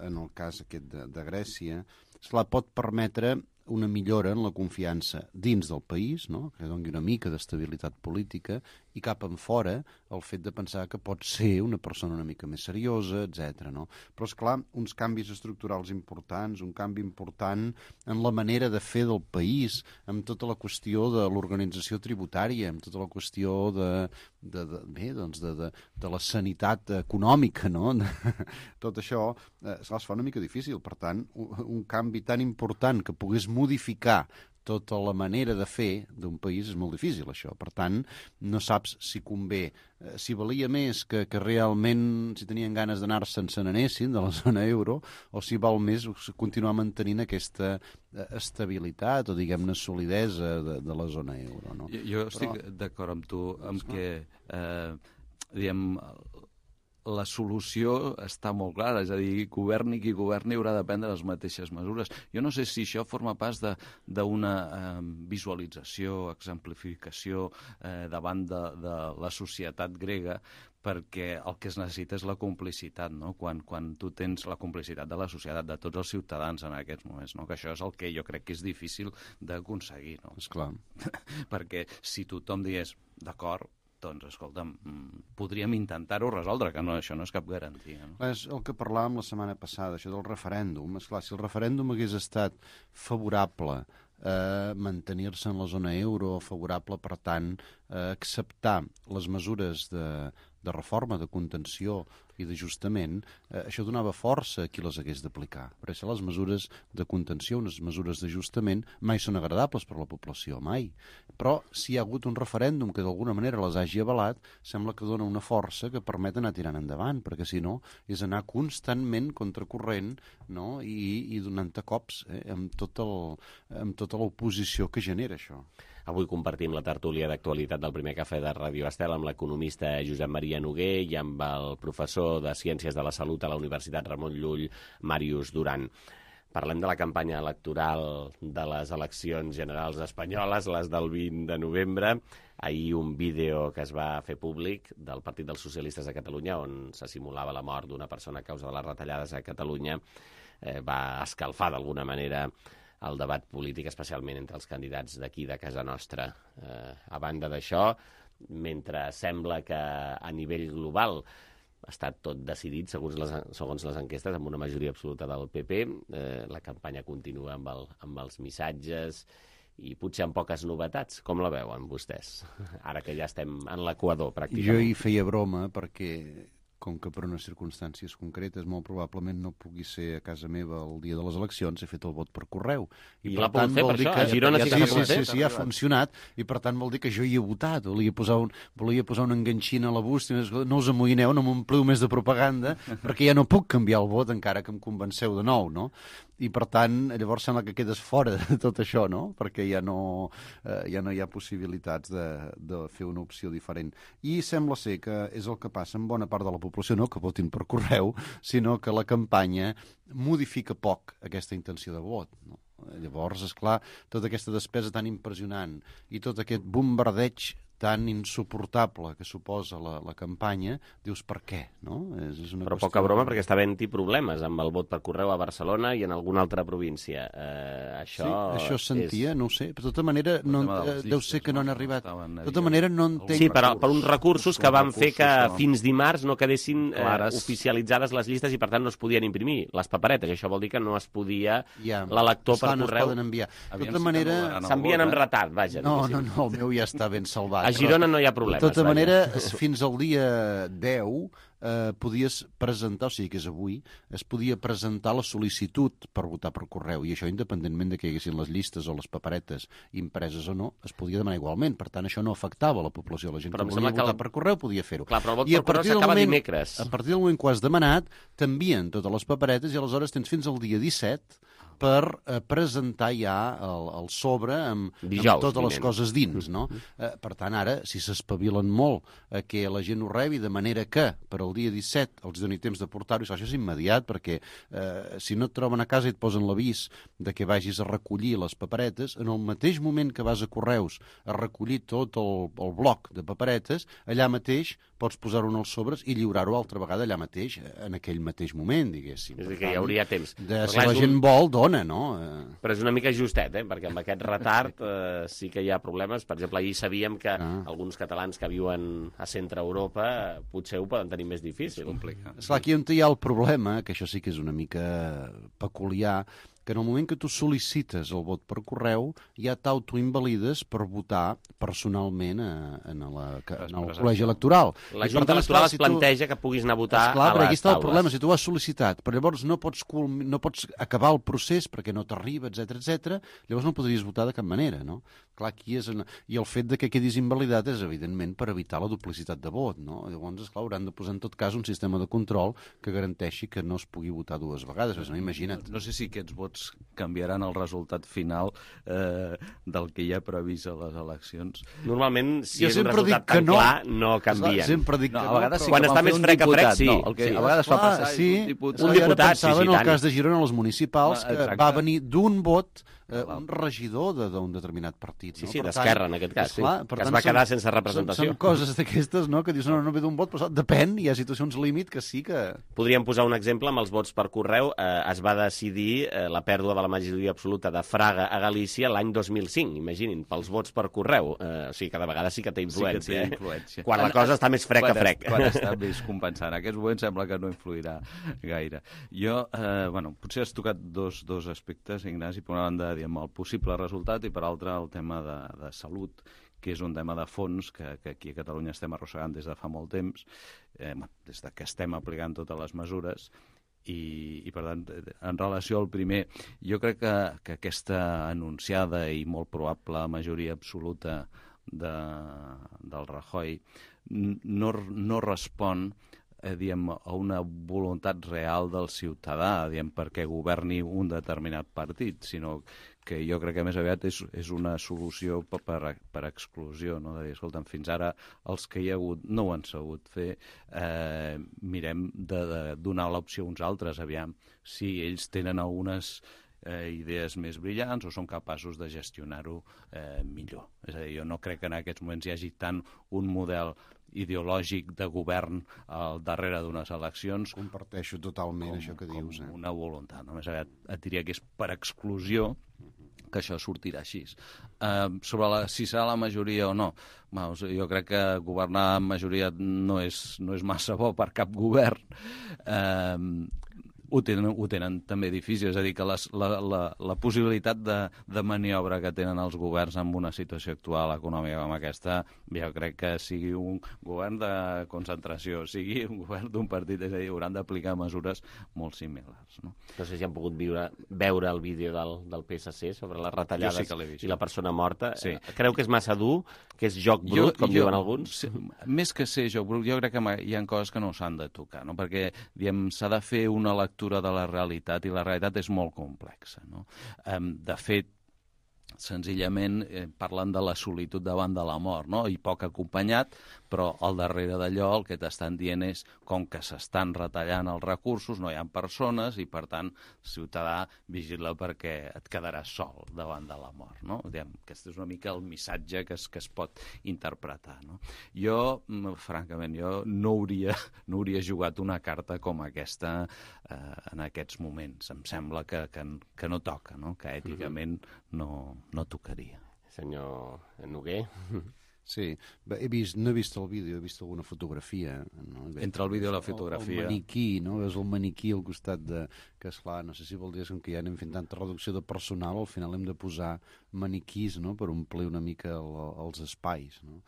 en el cas aquest de, de Grècia, esclar, pot permetre una millora en la confiança dins del país, no? Que doni una mica d'estabilitat política, i cap en fora el fet de pensar que pot ser una persona una mica més seriosa, etcètera. No? Però, és clar, uns canvis estructurals importants, un canvi important en la manera de fer del país, amb tota la qüestió de l'organització tributària, amb tota la qüestió de, de, de, bé, doncs de, de, de la sanitat econòmica, no? Tot això eh, es fa una mica difícil. Per tant, un, un canvi tan important que pogués modificar tota la manera de fer d'un país és molt difícil, això. Per tant, no saps si convé, eh, si valia més que, que realment, si tenien ganes d'anar-se'n, se n'anessin de la zona euro, o si val més continuar mantenint aquesta eh, estabilitat o, diguem-ne, solidesa de, de la zona euro. No? Jo, jo estic Però... d'acord amb tu, amb que, eh, diguem, la solució està molt clara, és a dir, governi qui governi haurà de prendre les mateixes mesures. Jo no sé si això forma pas d'una eh, visualització, exemplificació eh, davant de, de la societat grega, perquè el que es necessita és la complicitat, no? Quan, quan tu tens la complicitat de la societat, de tots els ciutadans en aquests moments, no? Que això és el que jo crec que és difícil d'aconseguir, no? Esclar. Perquè si tothom digués, d'acord, doncs, escolta'm, podríem intentar-ho resoldre, que no, això no és cap garantia. No? És el que parlàvem la setmana passada, això del referèndum. Esclar, si el referèndum hagués estat favorable a mantenir-se en la zona euro, favorable, per tant, a acceptar les mesures de, de reforma, de contenció i d'ajustament, eh, això donava força a qui les hagués d'aplicar. Per això les mesures de contenció, unes mesures d'ajustament, mai són agradables per a la població, mai. Però si hi ha hagut un referèndum que d'alguna manera les hagi avalat, sembla que dona una força que permet anar tirant endavant, perquè si no és anar constantment contracorrent, no? I, i donant-te cops eh, amb, tot el, amb tota l'oposició que genera això. Avui compartim la tertúlia d'actualitat del primer cafè de Ràdio Estel amb l'economista Josep Maria Noguer i amb el professor de Ciències de la Salut a la Universitat Ramon Llull, Màrius Duran. Parlem de la campanya electoral de les eleccions generals espanyoles, les del vint de novembre. Ahir un vídeo que es va fer públic del Partit dels Socialistes de Catalunya, on se simulava la mort d'una persona a causa de les retallades a Catalunya, eh, va escalfar d'alguna manera el debat polític, especialment entre els candidats d'aquí de casa nostra. Eh, a banda d'això, mentre sembla que a nivell global ha estat tot decidit, segons les, segons les enquestes, amb una majoria absoluta del P P. Eh, la campanya continua amb, el, amb els missatges i potser amb poques novetats. Com la veuen vostès? Ara que ja estem en l'equador, pràcticament. Jo hi feia broma perquè, com que per unes circumstàncies concretes molt probablement no pugui ser a casa meva el dia de les eleccions, he fet el vot per correu. I, I l'ha pogut fer per això? Que... A Girona ja, sí, sí, sí, sí, sí, sí, ha funcionat, i per tant vol dir que jo hi he votat. Volia posar un, volia posar un enganxin a la bústia, no us amoïneu, no m'ompliu més de propaganda, perquè ja no puc canviar el vot encara que em convenceu de nou, no? I per tant, llavors sembla que quedes fora de tot això, no? Perquè ja no, eh, ja no hi ha possibilitats de, de fer una opció diferent. I sembla ser que és el que passa amb bona part de la població, no que votin per correu, sinó que la campanya modifica poc aquesta intenció de vot, no? Llavors, és clar, tota aquesta despesa tan impressionant i tot aquest bombardeig tan insuportable que suposa la, la campanya, dius per què, no? És, és una Però qüestió... poca broma, perquè està havent-hi problemes amb el vot per correu a Barcelona i en alguna altra província. Eh, això sí, això sentia, és... no ho sé. De tota manera, no, eh, deu ser que no han arribat. De tota manera, no entenc... Sí, per, per uns recursos que van fer que fins dimarts no quedessin eh, oficialitzades les llistes i, per tant, no es podien imprimir les paperetes. I això vol dir que no es podia ja, l'elector per no correu... No es poden enviar. De tota manera... S'envien amb retard, vaja. No, no, no, el meu ja està ben salvat. A Girona no hi ha problemes. De tota vaja. manera, fins al dia deu eh, podies presentar, o sigui que és avui, es podia presentar la sol·licitud per votar per correu, i això independentment de que hi haguessin les llistes o les paperetes impreses o no, es podia demanar igualment. Per tant, això no afectava la població. La gent però que volia votar el... per correu podia fer-ho. Clar, però el vot I per correu s'acaba dimecres. A partir del moment que ho has demanat, t'envien totes les paperetes i aleshores tens fins al dia disset per eh, presentar ja el, el sobre amb, Dijous, amb totes vinent. les coses dins, no? Eh, per tant, ara, si s'espavilen molt a eh, que la gent ho rebi, de manera que per al dia disset els doni temps de portar-ho, això és immediat, perquè eh, si no et troben a casa i et posen l'avís de que vagis a recollir les paperetes, en el mateix moment que vas a Correus a recollir tot el, el bloc de paperetes, allà mateix pots posar-ho en els sobres i lliurar-ho altra vegada allà mateix, en aquell mateix moment, diguéssim. És a dir, que hi hauria temps. De, si la gent un... vol, dona, no? Però és una mica justet, eh? Perquè amb aquest retard eh, sí que hi ha problemes. Per exemple, ahir sabíem que ah. alguns catalans que viuen a centre Europa eh, potser ho poden tenir més difícil. És complicat. Esclar, aquí on hi ha el problema, que això sí que és una mica peculiar, que en el moment que tu sol·licites el vot per correu ja t'autoinvalides per votar personalment a, a la, a, en el col·legi electoral. La Junta Electoral es planteja que puguis anar a votar esclar, a les aquí està taules. El problema, si tu ho has sol·licitat, però llavors no pots, no pots acabar el procés perquè no t'arriba, etcètera, etcètera, llavors no podries votar de cap manera, no? Clar, aquí és una... I el fet de que quedis invalidat és, evidentment, per evitar la duplicitat de vot, no? Llavors, esclar, hauran de posar en tot cas un sistema de control que garanteixi que no es pugui votar dues vegades, no, imagina't. No, no sé si aquests vots canviaran el resultat final eh, del que hi ha previst a les eleccions. Normalment, si jo és un resultat tan no. clar, no canvien. Esclar, sempre dic no, que a vegades no, sí quan està més frec a frec, sí. No, el que sí. a vegades Esclar, fa passar sí, un diputat. Un diputat, pensava sí, sí, en el tant. cas de Girona, les municipals, que Exacte. va venir d'un vot eh, un regidor d'un determinat partit. Sí, no? sí, Per d'Esquerra, tant, en aquest cas, esclar, sí. per Que tant, es va quedar són, sense representació. Són, són coses d'aquestes, no?, que dius, no, no ve d'un vot, però depèn, hi ha situacions límit que sí que... Podríem posar un exemple amb els vots per correu. Eh, es va decidir eh, la pèrdua de la majoria absoluta de Fraga a Galícia l'any dos mil cinc, imaginin, pels vots per correu. Eh, o sigui, cada vegada sí que té influència. Sí que té influència. Eh? Quan la cosa està més frec quan, que frec. Quan està més compensant. En aquests moments sembla que no influirà gaire. Jo, eh, bueno, potser has tocat dos, dos aspectes, Ignasi, per una banda, diguem, el possible resultat i per altra el tema de, de salut, que és un tema de fons que, que aquí a Catalunya estem arrossegant des de fa molt temps, eh, des de que estem aplicant totes les mesures, i, i per tant, en relació al primer, jo crec que, que aquesta anunciada i molt probable majoria absoluta de, del Rajoy no, no respon eh, diem, a una voluntat real del ciutadà, diem, perquè governi un determinat partit, sinó que jo crec que més aviat és, és una solució per, per, per exclusió, no? De dir, escolta'm, fins ara els que hi ha hagut no ho han sabut fer, eh, mirem de, de donar l'opció a uns altres, aviam, si ells tenen algunes eh, idees més brillants o són capaços de gestionar-ho eh, millor. És a dir, jo no crec que en aquests moments hi hagi tant un model ideològic de govern al darrere d'unes eleccions. Comparteixo totalment com, això que dius. Com eh? una voluntat. Només et, et diria que és per exclusió que això sortirà així. Uh, sobre la, si serà la majoria o no, bueno, jo crec que governar amb majoria no és, no és massa bo per cap govern. Uh, ho tenen, ho tenen també difícil, és a dir, que les, la, la, la possibilitat de, de maniobra que tenen els governs en una situació actual econòmica com aquesta, jo crec que sigui un govern de concentració, sigui un govern d'un partit, és a dir, hauran d'aplicar mesures molt similars. No? No sé si han pogut viure, veure el vídeo del, del P S C sobre les retallades sí i la persona morta. Sí. Creu que és massa dur, que és joc brut, jo, com jo, diuen alguns? Sí, més que ser joc brut, jo crec que hi ha coses que no s'han de tocar, no? Perquè s'ha de fer una lectura de la realitat, i la realitat és molt complexa. No? Um, de fet, senzillament eh, parlen de la solitud davant de la mort, no? I poc acompanyat, però al darrere d'allò el que t'estan dient és com que s'estan retallant els recursos, no hi ha persones i, per tant, ciutadà, vigila perquè et quedaràs sol davant de la mort. No? Diguem, aquest és una mica el missatge que es, que es pot interpretar. No? Jo, francament, jo no hauria, no hauria jugat una carta com aquesta eh, en aquests moments. Em sembla que, que, que no toca, no? Que èticament no, no tocaria. Senyor Noguer? Sí, he vist, no he vist el vídeo, he vist alguna fotografia. No? Entre el vídeo i la fotografia. El, el maniquí, no? És el maniquí al costat de... Que, esclar, no sé si vol dir que ja anem fent tanta reducció de personal, al final hem de posar maniquís, no?, per omplir una mica el, els espais, no?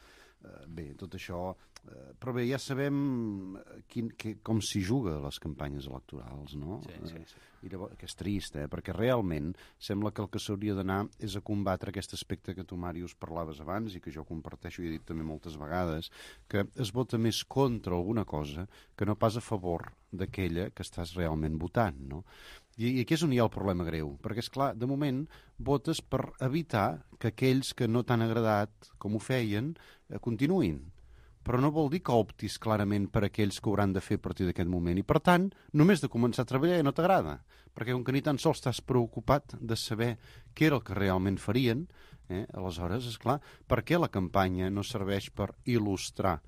Bé, tot això... Però bé, ja sabem quin, que, com s'hi juga a les campanyes electorals, no? Sí, sí, sí. I llavors, que és trist, eh? Perquè realment sembla que el que s'hauria d'anar és a combatre aquest aspecte que tu, Màrius, parlaves abans i que jo comparteixo i he dit també moltes vegades, que es vota més contra alguna cosa que no pas a favor d'aquella que estàs realment votant, no? I, i aquí és on hi ha el problema greu, perquè, és clar, de moment votes per evitar que aquells que no t'han agradat com ho feien eh, continuïn. Però no vol dir que optis clarament per aquells que hauran de fer a partir d'aquest moment. I, per tant, només de començar a treballar ja no t'agrada, perquè com que ni tan sols estàs preocupat de saber què era el que realment farien, eh, aleshores, és clar, per què la campanya no serveix per il·lustrar,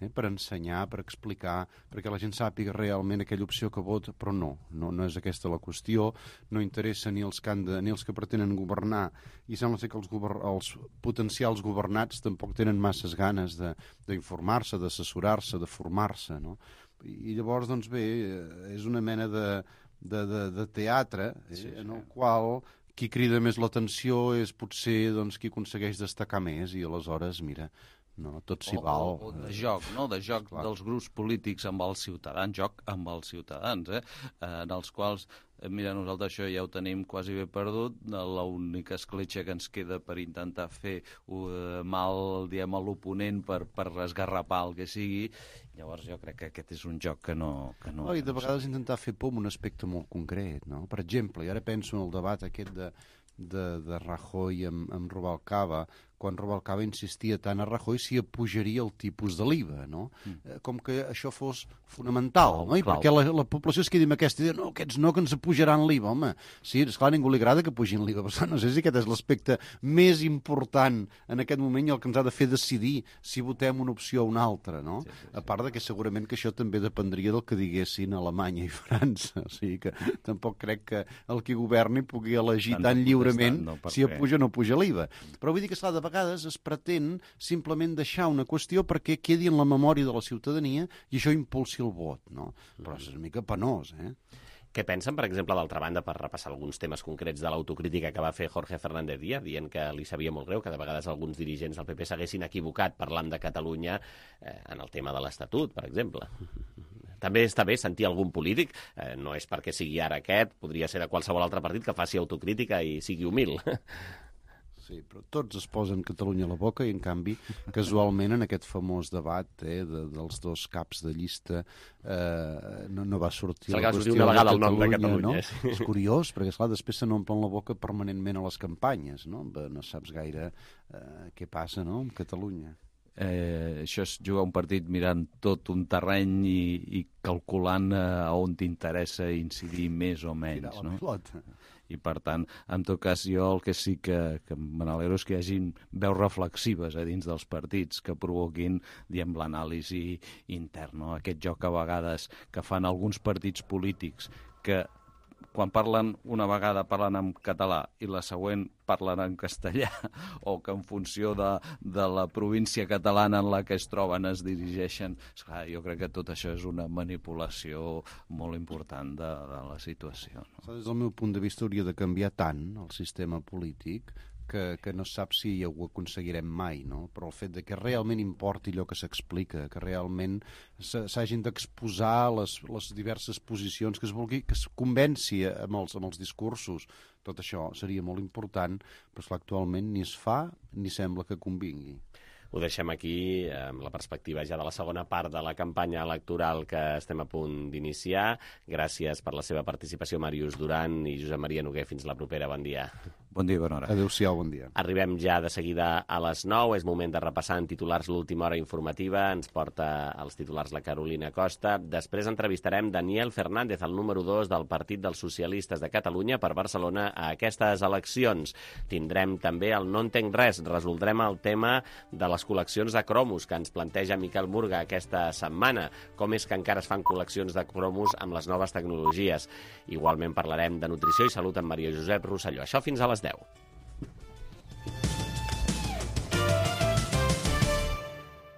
eh, per ensenyar, per explicar, perquè la gent sàpiga realment aquella opció que vota, però no, no, no és aquesta la qüestió, no interessa ni els que, han de, ni els que pretenen governar, i sembla ser que els, govern, els potencials governats tampoc tenen masses ganes d'informar-se, d'assessorar-se, de formar-se, no? I llavors, doncs bé, és una mena de, de, de, de teatre, eh, sí, sí. en el qual qui crida més l'atenció és potser doncs, qui aconsegueix destacar més, i aleshores, mira, no, tot s'hi val. O, o de joc, no? De joc Clar. dels grups polítics amb els ciutadans, joc amb els ciutadans, eh? en els quals, mira, nosaltres això ja ho tenim quasi bé perdut, l'única escletxa que ens queda per intentar fer uh, mal, diem, a l'oponent per, per esgarrapar el que sigui, llavors jo crec que aquest és un joc que no... Que no oh, I de vegades intentar fer por en un aspecte molt concret, no? Per exemple, i ara penso en el debat aquest de de, de Rajoy amb, amb Rubalcaba, quan Rubalcaba insistia tant a Rajoy si apujaria el tipus de l'I V A, no? Mm. Com que això fos fonamental, no? I Clau. perquè la, la població es quedi amb aquesta idea, no, aquests no, que ens apujaran l'I V A, home. Sí, esclar, a ningú li agrada que pugin l'I V A, però no sé si aquest és l'aspecte més important en aquest moment i el que ens ha de fer decidir si votem una opció o una altra, no? Sí, sí, sí. A part de que segurament que això també dependria del que diguessin Alemanya i França, o sigui que tampoc crec que el que governi pugui elegir tan lliurement no, si apuja o no apuja l'I V A. Però vull dir que, esclar, de vegades es pretén simplement deixar una qüestió perquè quedi en la memòria de la ciutadania i això impulsi el vot, no? Però és una mica penós, eh? Què pensen, per exemple, d'altra banda, per repassar alguns temes concrets de l'autocrítica que va fer Jorge Fernández Díaz, dient que li sabia molt greu que de vegades alguns dirigents del P P s'haguessin equivocat parlant de Catalunya eh, en el tema de l'Estatut, per exemple? També està bé sentir algun polític, eh, no és perquè sigui ara aquest, podria ser de qualsevol altre partit que faci autocrítica i sigui humil. Sí, però tots es posen Catalunya a la boca i, en canvi, casualment, en aquest famós debat eh, de, dels dos caps de llista eh, no, no va sortir la qüestió una vegada el nom de Catalunya. No? Sí. És curiós, perquè, esclar, després se n'omplen la boca permanentment a les campanyes, no? No saps gaire eh, què passa, no?, amb Catalunya. Eh, això és jugar un partit mirant tot un terreny i, i calculant eh, on t'interessa incidir més o menys, no? Pilota. I, per tant, en tot cas, jo el que sí que, que me n'alegro és que hi hagin veus reflexives a dins dels partits que provoquin, diem, l'anàlisi intern, no? Aquest joc a vegades que fan alguns partits polítics que quan parlen una vegada parlen en català i la següent parlen en castellà, o que en funció de, de la província catalana en la que es troben es dirigeixen. Esclar, jo crec que tot això és una manipulació molt important de, de la situació. No? Des del meu punt de vista hauria de canviar tant el sistema polític que, que no sap si ho aconseguirem mai, no? Però el fet de que realment importi allò que s'explica, que realment s'hagin d'exposar les, les diverses posicions, que es vulgui, que es convenci amb els, amb els discursos, tot això seria molt important, però esclar, actualment ni es fa ni sembla que convingui. Ho deixem aquí, amb la perspectiva ja de la segona part de la campanya electoral que estem a punt d'iniciar. Gràcies per la seva participació, Màrius Duran i Josep Maria Noguer. Fins la propera. Bon dia. Bon dia i bona hora. Adéu-siau, bon dia. Arribem ja de seguida a les nou. És moment de repassar en titulars l'última hora informativa. Ens porta els titulars la Carolina Costa. Després entrevistarem Daniel Fernández, el número dos del Partit dels Socialistes de Catalunya per Barcelona a aquestes eleccions. Tindrem també el No entenc res. Resoldrem el tema de les col·leccions de cromos que ens planteja Miquel Murga aquesta setmana. Com és que encara es fan col·leccions de cromos amb les noves tecnologies? Igualment parlarem de nutrició i salut amb Maria Josep Rosselló. Això fins a les deu.